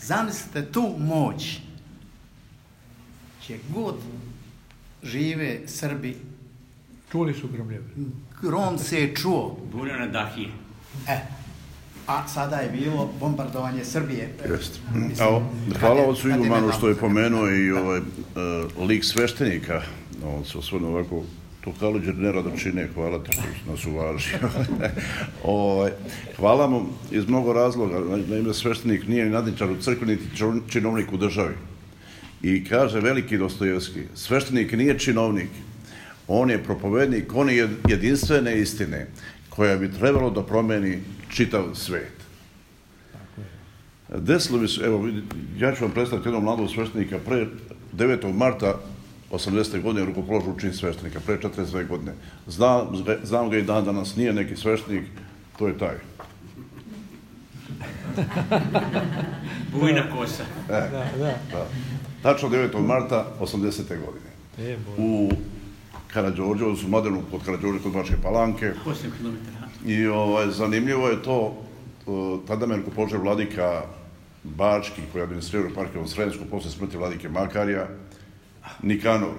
Zamislite tu moć. Gdje god žive Srbi, Čuli su gromljeve. grom se je čuo. Bunio na Dahije. A sada je bilo bombardovanje Srbije. Jeste. Hvala ocu Igumanu što je pomenuo i lik sveštenika. On se osvrnuo ovako, to Kalođer nerado čine, hvala ti što nas uvažio. Hvala mu iz mnogo razloga. Naime, sveštenik nije ni nadničar u crkvi, niti činovnik u državi. I kaže veliki Dostojevski, sveštenik nije činovnik, on je propovednik, on je jedinstvene istine koja bi trebalo da promeni čitav svet. Desilo mi se, evo, ja ću vam predstaviti jednog mladog sveštenika pre 9. marta 80. godine rukopoložu čin sveštenika, pre 42 godine. Znam ga i dan danas, nije neki sveštenik, to je taj. Bujna kosa. Da. Tačno 9. marta 80. godine. U Karađorđevu, su modernu kod Karađorđe, kod Bačke Palanke. 8 kilometara. I zanimljivo je to, tada me rukopoložio vladika Bački, koji je administrirao eparhiju Sremsku, posle smrti vladike Makarija, Nikanor.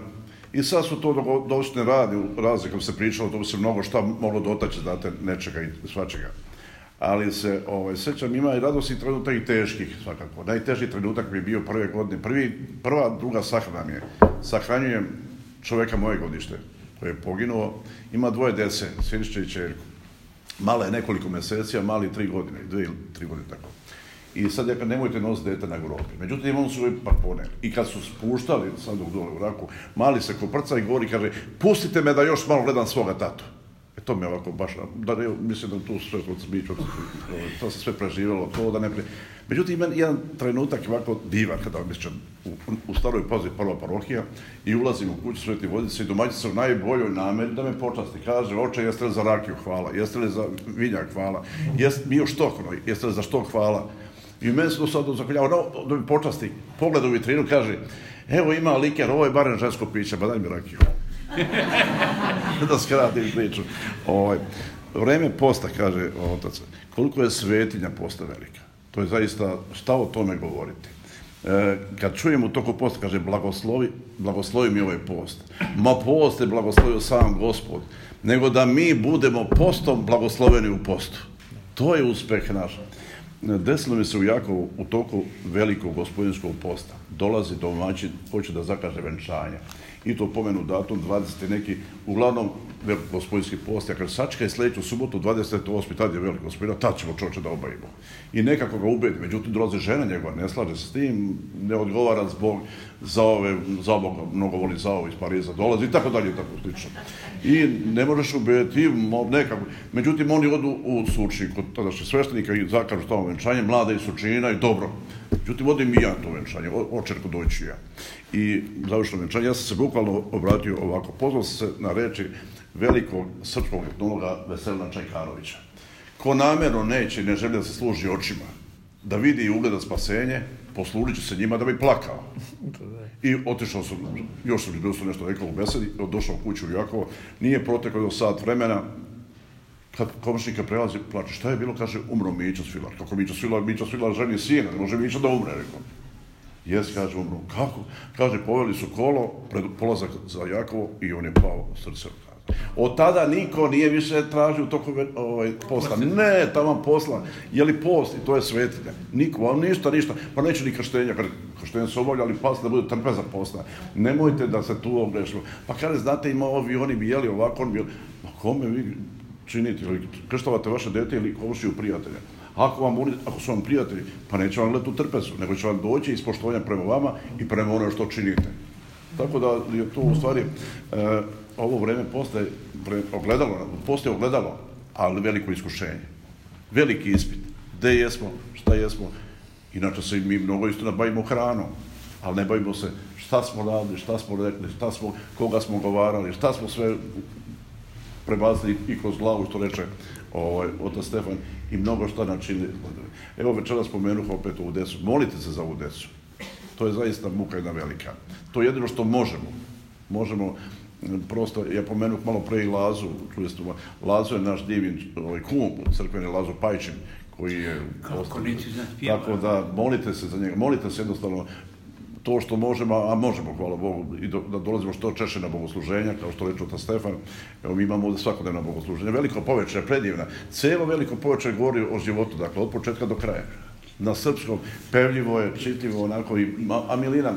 I sad su to došli radi, razne, kako se pričalo, to bi se mnogo šta moglo dotaći, znate, nečega i svačega. Ali se, sećam, ima i radosnih trenutak i teških, svakako. Najteži trenutak bi bio prve godine. Druga sahrana mi je. Sahranjujem čoveka moje godište, koji je poginuo. Ima 2 dece, Sinišće i čerku. Mala je nekoliko meseci, a mali 3 godine, 2 ili 3 godine tako. I sad je kad nemojte nositi dete na groblje. Međutim, on su uvijek parpone. I kad su spuštali, sad dok dole u Raku, mali se koprca i govori, kaže, pustite me da još malo gledam svoga tatu. To me ovako baš, mislim da tu sve to se sve preživjelo, to da ne pre... Međutim, ima jedan trenutak ovako divan, kada vam mislim, u staroj pozi prva parohija i ulazim u kuću Sveti Vodice i domaćica u najboljoj nameri da me počasti. Kaže, oče, jeste li za rakiju, hvala, jeste li za vinjak, hvala, mi još štokno, jeste li za štok, hvala. I meni se to sad zakoljava, da mi počasti, pogleda u vitrinu, kaže, evo ima liker, ovo je barem žensko piće, ba daj mi rakiju. Da skratim priču. Vreme posta, kaže otac, koliko je svetinja posta velika. To je zaista, šta o tome govoriti. Kad čujem u toku posta, kaže, blagoslovi mi ovaj post. Ma post je blagoslovio sam Gospod. Nego da mi budemo postom blagosloveni u postu. To je uspeh naš. Desilo mi se u Jakovu u toku velikog gospodinskog posta. Dolazi domaćin, hoće da zakaže venčanja. I to pomenu datum 20. neki, uglavnom gospodinski post. Ja kaže, sačekaj sljedeću subotu, 28. tad je veliko gospodina, tad ćemo čovječe da obavimo. I nekako ga ubedi, međutim dolaze žena njegova, ne slaže se s tim, ne odgovara zbog za ovoga, mnogo voli za ovo iz Pariza, dolazi i tako dalje, i tako slično. I ne možeš ubediti, nekako. Međutim, oni odu u Surčin kod tadašnjeg sveštenika i zakažu tamo venčanje, mlada i Surčina i dobro. Međutim, odim i ja to venčanje, očerko doći ja. I završeno venčanje, ja sam se bukvalno obratio ovako, pozvao sam se na reči velikog srpskog etnologa Veselina Čajkarovića. Ko namjerno neće i ne želi da se služi očima, da vidi i ugleda spasenje, poslužit će se njima da bi plakao. I otišao sam, još sam bilo nešto rekao u besedi, došao u kuću u Jakovo, nije proteklo do sat vremena, kad komšnika prelazi, plače, šta je bilo, kaže, umro Mićo Svilar. Kako Mićo Svilar ženi sina, ne može Mićo da umre, rekao. Jes, kaže, umro. Kako? Kaže, poveli su kolo, pred polazak za Jakovo i on je pao srce. Od tada niko nije više tražio toliko posta. Ne, tamo posla. Je li post? I to je svetinja. Niko, ali ništa. Pa neće ni krštenja. Krštenja se obavlja, ali pas da bude trpeza posta. Nemojte da se tu ogrešimo. Pa kaže, znate, ima ovi, oni bi jeli ovako, oni bi jeli. Ma kome vi činite? Krštavate vaše dete ili komšiju prijatelja? Ako su vam prijatelji, pa neće vam gledati u trpezu, nego će vam doći iz poštovanja prema vama i prema ono što činite. Tako da je to u stvari, ovo vreme postaje ogledalo, ali veliko iskušenje. Veliki ispit. Gde jesmo, šta jesmo. Inače se mi mnogo istina bavimo hranom, ali ne bavimo se šta smo radili, šta smo rekli, koga smo govarali, šta smo sve prebacili i kroz glavu, što reče otac Stefan, i mnogo šta načinili. Evo večera spomenuh opet ovu decu. Molite se za ovu decu. To je zaista muka jedna velika. To je jedino što možemo. Možemo, prosto, ja pomenuh malo pre i Lazu, čuli ste, Lazu je naš divin kum, crkveni Lazo Pajčin, koji je... Kako niti znat pjeva. Tako da molite se za njega, molite se jednostavno to što možemo, a možemo, hvala Bogu, i da dolazimo što češće na bogosluženja, kao što reče otac Stefan. Evo, mi imamo ovdje svakodnevna bogosluženja. Veliko poveče je predivna. Cijelo Veliko poveče govori o životu, dakle, od početka do kraja. Na srpskom, pevljivo je, čitljivo, onako, a milina,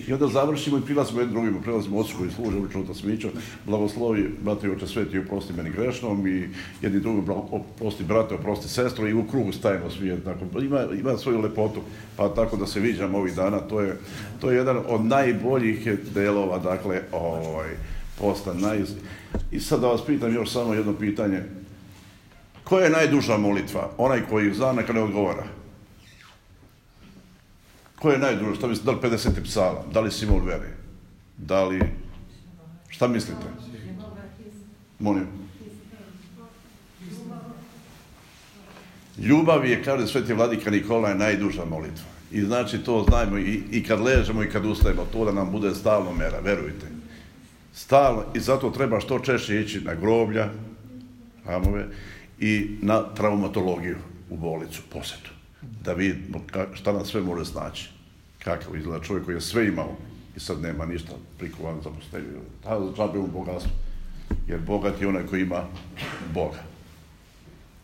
i onda završimo i prilazimo jednim drugim, prelazimo ocu koji služe, ulično otac Mićo, blagoslovi, brate oče sveti, oprosti meni grešnom, i jedni drugim, oprosti brate, oprosti sestro, i u krugu stajemo svi, tako, ima svoju lepotu, pa tako da se viđamo ovih dana, to je jedan od najboljih delova, dakle, posta. I sad da vas pitam još samo jedno pitanje, koja je najduža molitva? Onaj koji zna, neka ne odgovara. Ko je najduža? Šta mislite? Da li 50. psalam? Da li Simul Veri? Da li... Šta mislite? Molim. Ljubav je, kaže sveti vladika Nikola, je najduža molitva. I znači to znajmo i kad ležemo i kad ustajemo, to da nam bude stalno mera, verujte. Stalno, i zato treba što češće ići na groblja, hramove, i na traumatologiju u bolnicu, posjetu. Da vidimo šta nam sve može snaći. Kakav izgleda čovjek koji je sve imao i sad nema ništa prikovan za postelju. Džabe mu bogatstvo. Jer bogat je onaj koji ima Boga.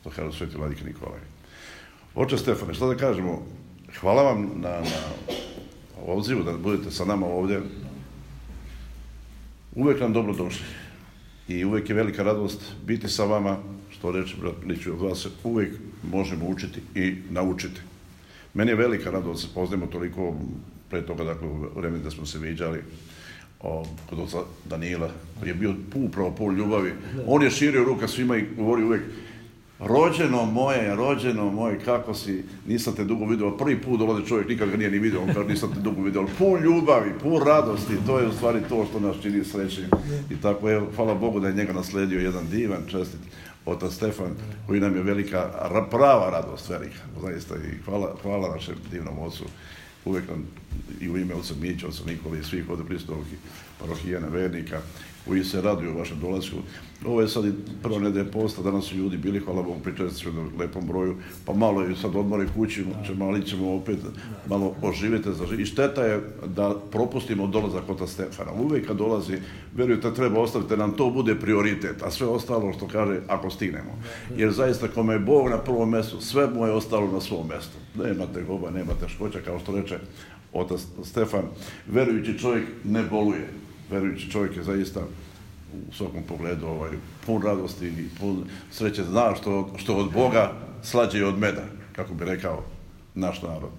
To kaže sveti vladika Nikolaj. Oče Stefane, šta da kažemo? Hvala vam na odzivu da budete sa nama ovdje. Uvek nam dobro došli. I uvek je velika radost biti sa vama. Što reći, brat Miliću, od vas uvijek možemo učiti i naučiti. Meni je velika radost da se poznajemo toliko pre toga, dakle, u vremenu da smo se viđali kod oca Danila, koji je bio upravo pol ljubavi. On je širio ruka svima i govori uvijek: rođeno moje, kako si, nisam te dugo vidio. Prvi put dolazi čovjek, nikad ga nije ni vidio, on kaže nisam te dugo vidio, ali pun ljubavi, pun radosti, to je u stvari to što nas čini srećnim. I tako, evo, hvala Bogu da je njega nasledio jedan divan, čestit otac Stefan, koji nam je velika, prava radost, velika, zaista, i hvala našem divnom ocu, uvijek nam i u ime oca Mića, oca Nikole i svih ovdje prisutnih parohijana, vernika, koji se raduju vašem dolasku. Ovo je sad i prva nedelja posta, danas su ljudi bili, hvala Bogu, pričali se na lepom broju, pa malo je sad odmori kući, ali ćemo opet malo oživjeti. I šteta je da propustimo dolazak otac Stefana. Uvijek kad dolazi, verujte, treba ostaviti, nam to bude prioritet, a sve ostalo što kaže, ako stignemo. Jer zaista, kome je Bog na prvom mjestu, sve mu je ostalo na svom mjestu. Nemate goba, nemate škoća, kao što reče otac Stefan. Verujući čovjek ne boluje. Verujući čovjek je zaista u svakom pogledu pun radosti i pun sreće, zna što od Boga slađe i od meda, kako bi rekao naš narod.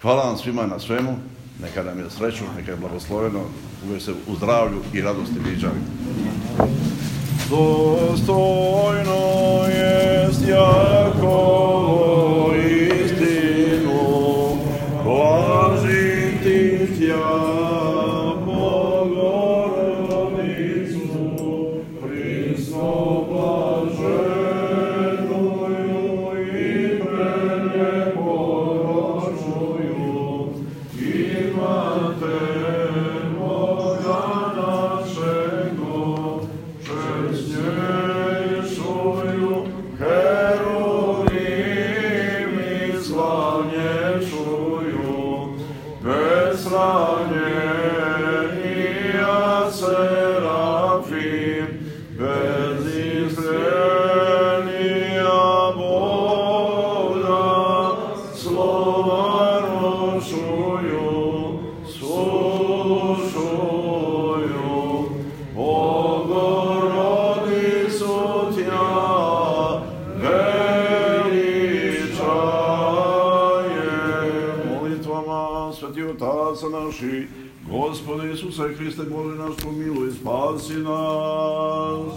Hvala vam svima na svemu, neka nam je sreću, neka je blagosloveno, uvijek se u zdravlju i radosti viđali. Dostojno jest Jakovo istinu, blažim ti tja. Gospode Isuse Hriste, moli nas, pomiluj, spasi nas.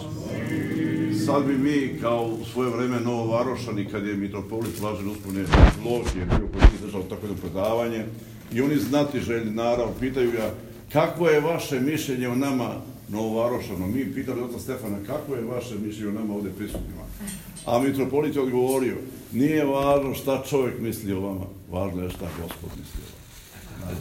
Sad bi mi, kao u svoje vreme Novovarošani, kad je mitropolit Blažen Uspomene Lovki, je bio koji je držao tako jedno predavanje, i oni znatiželjni narav pitaju ga: kakvo je vaše mišljenje o nama Novovarošano? Mi pitali oca Stefana: kakvo je vaše mišljenje o nama ovdje prisutnima? A mitropolit je odgovorio: nije važno šta čovjek misli o vama, važno je šta Gospod misli o vama.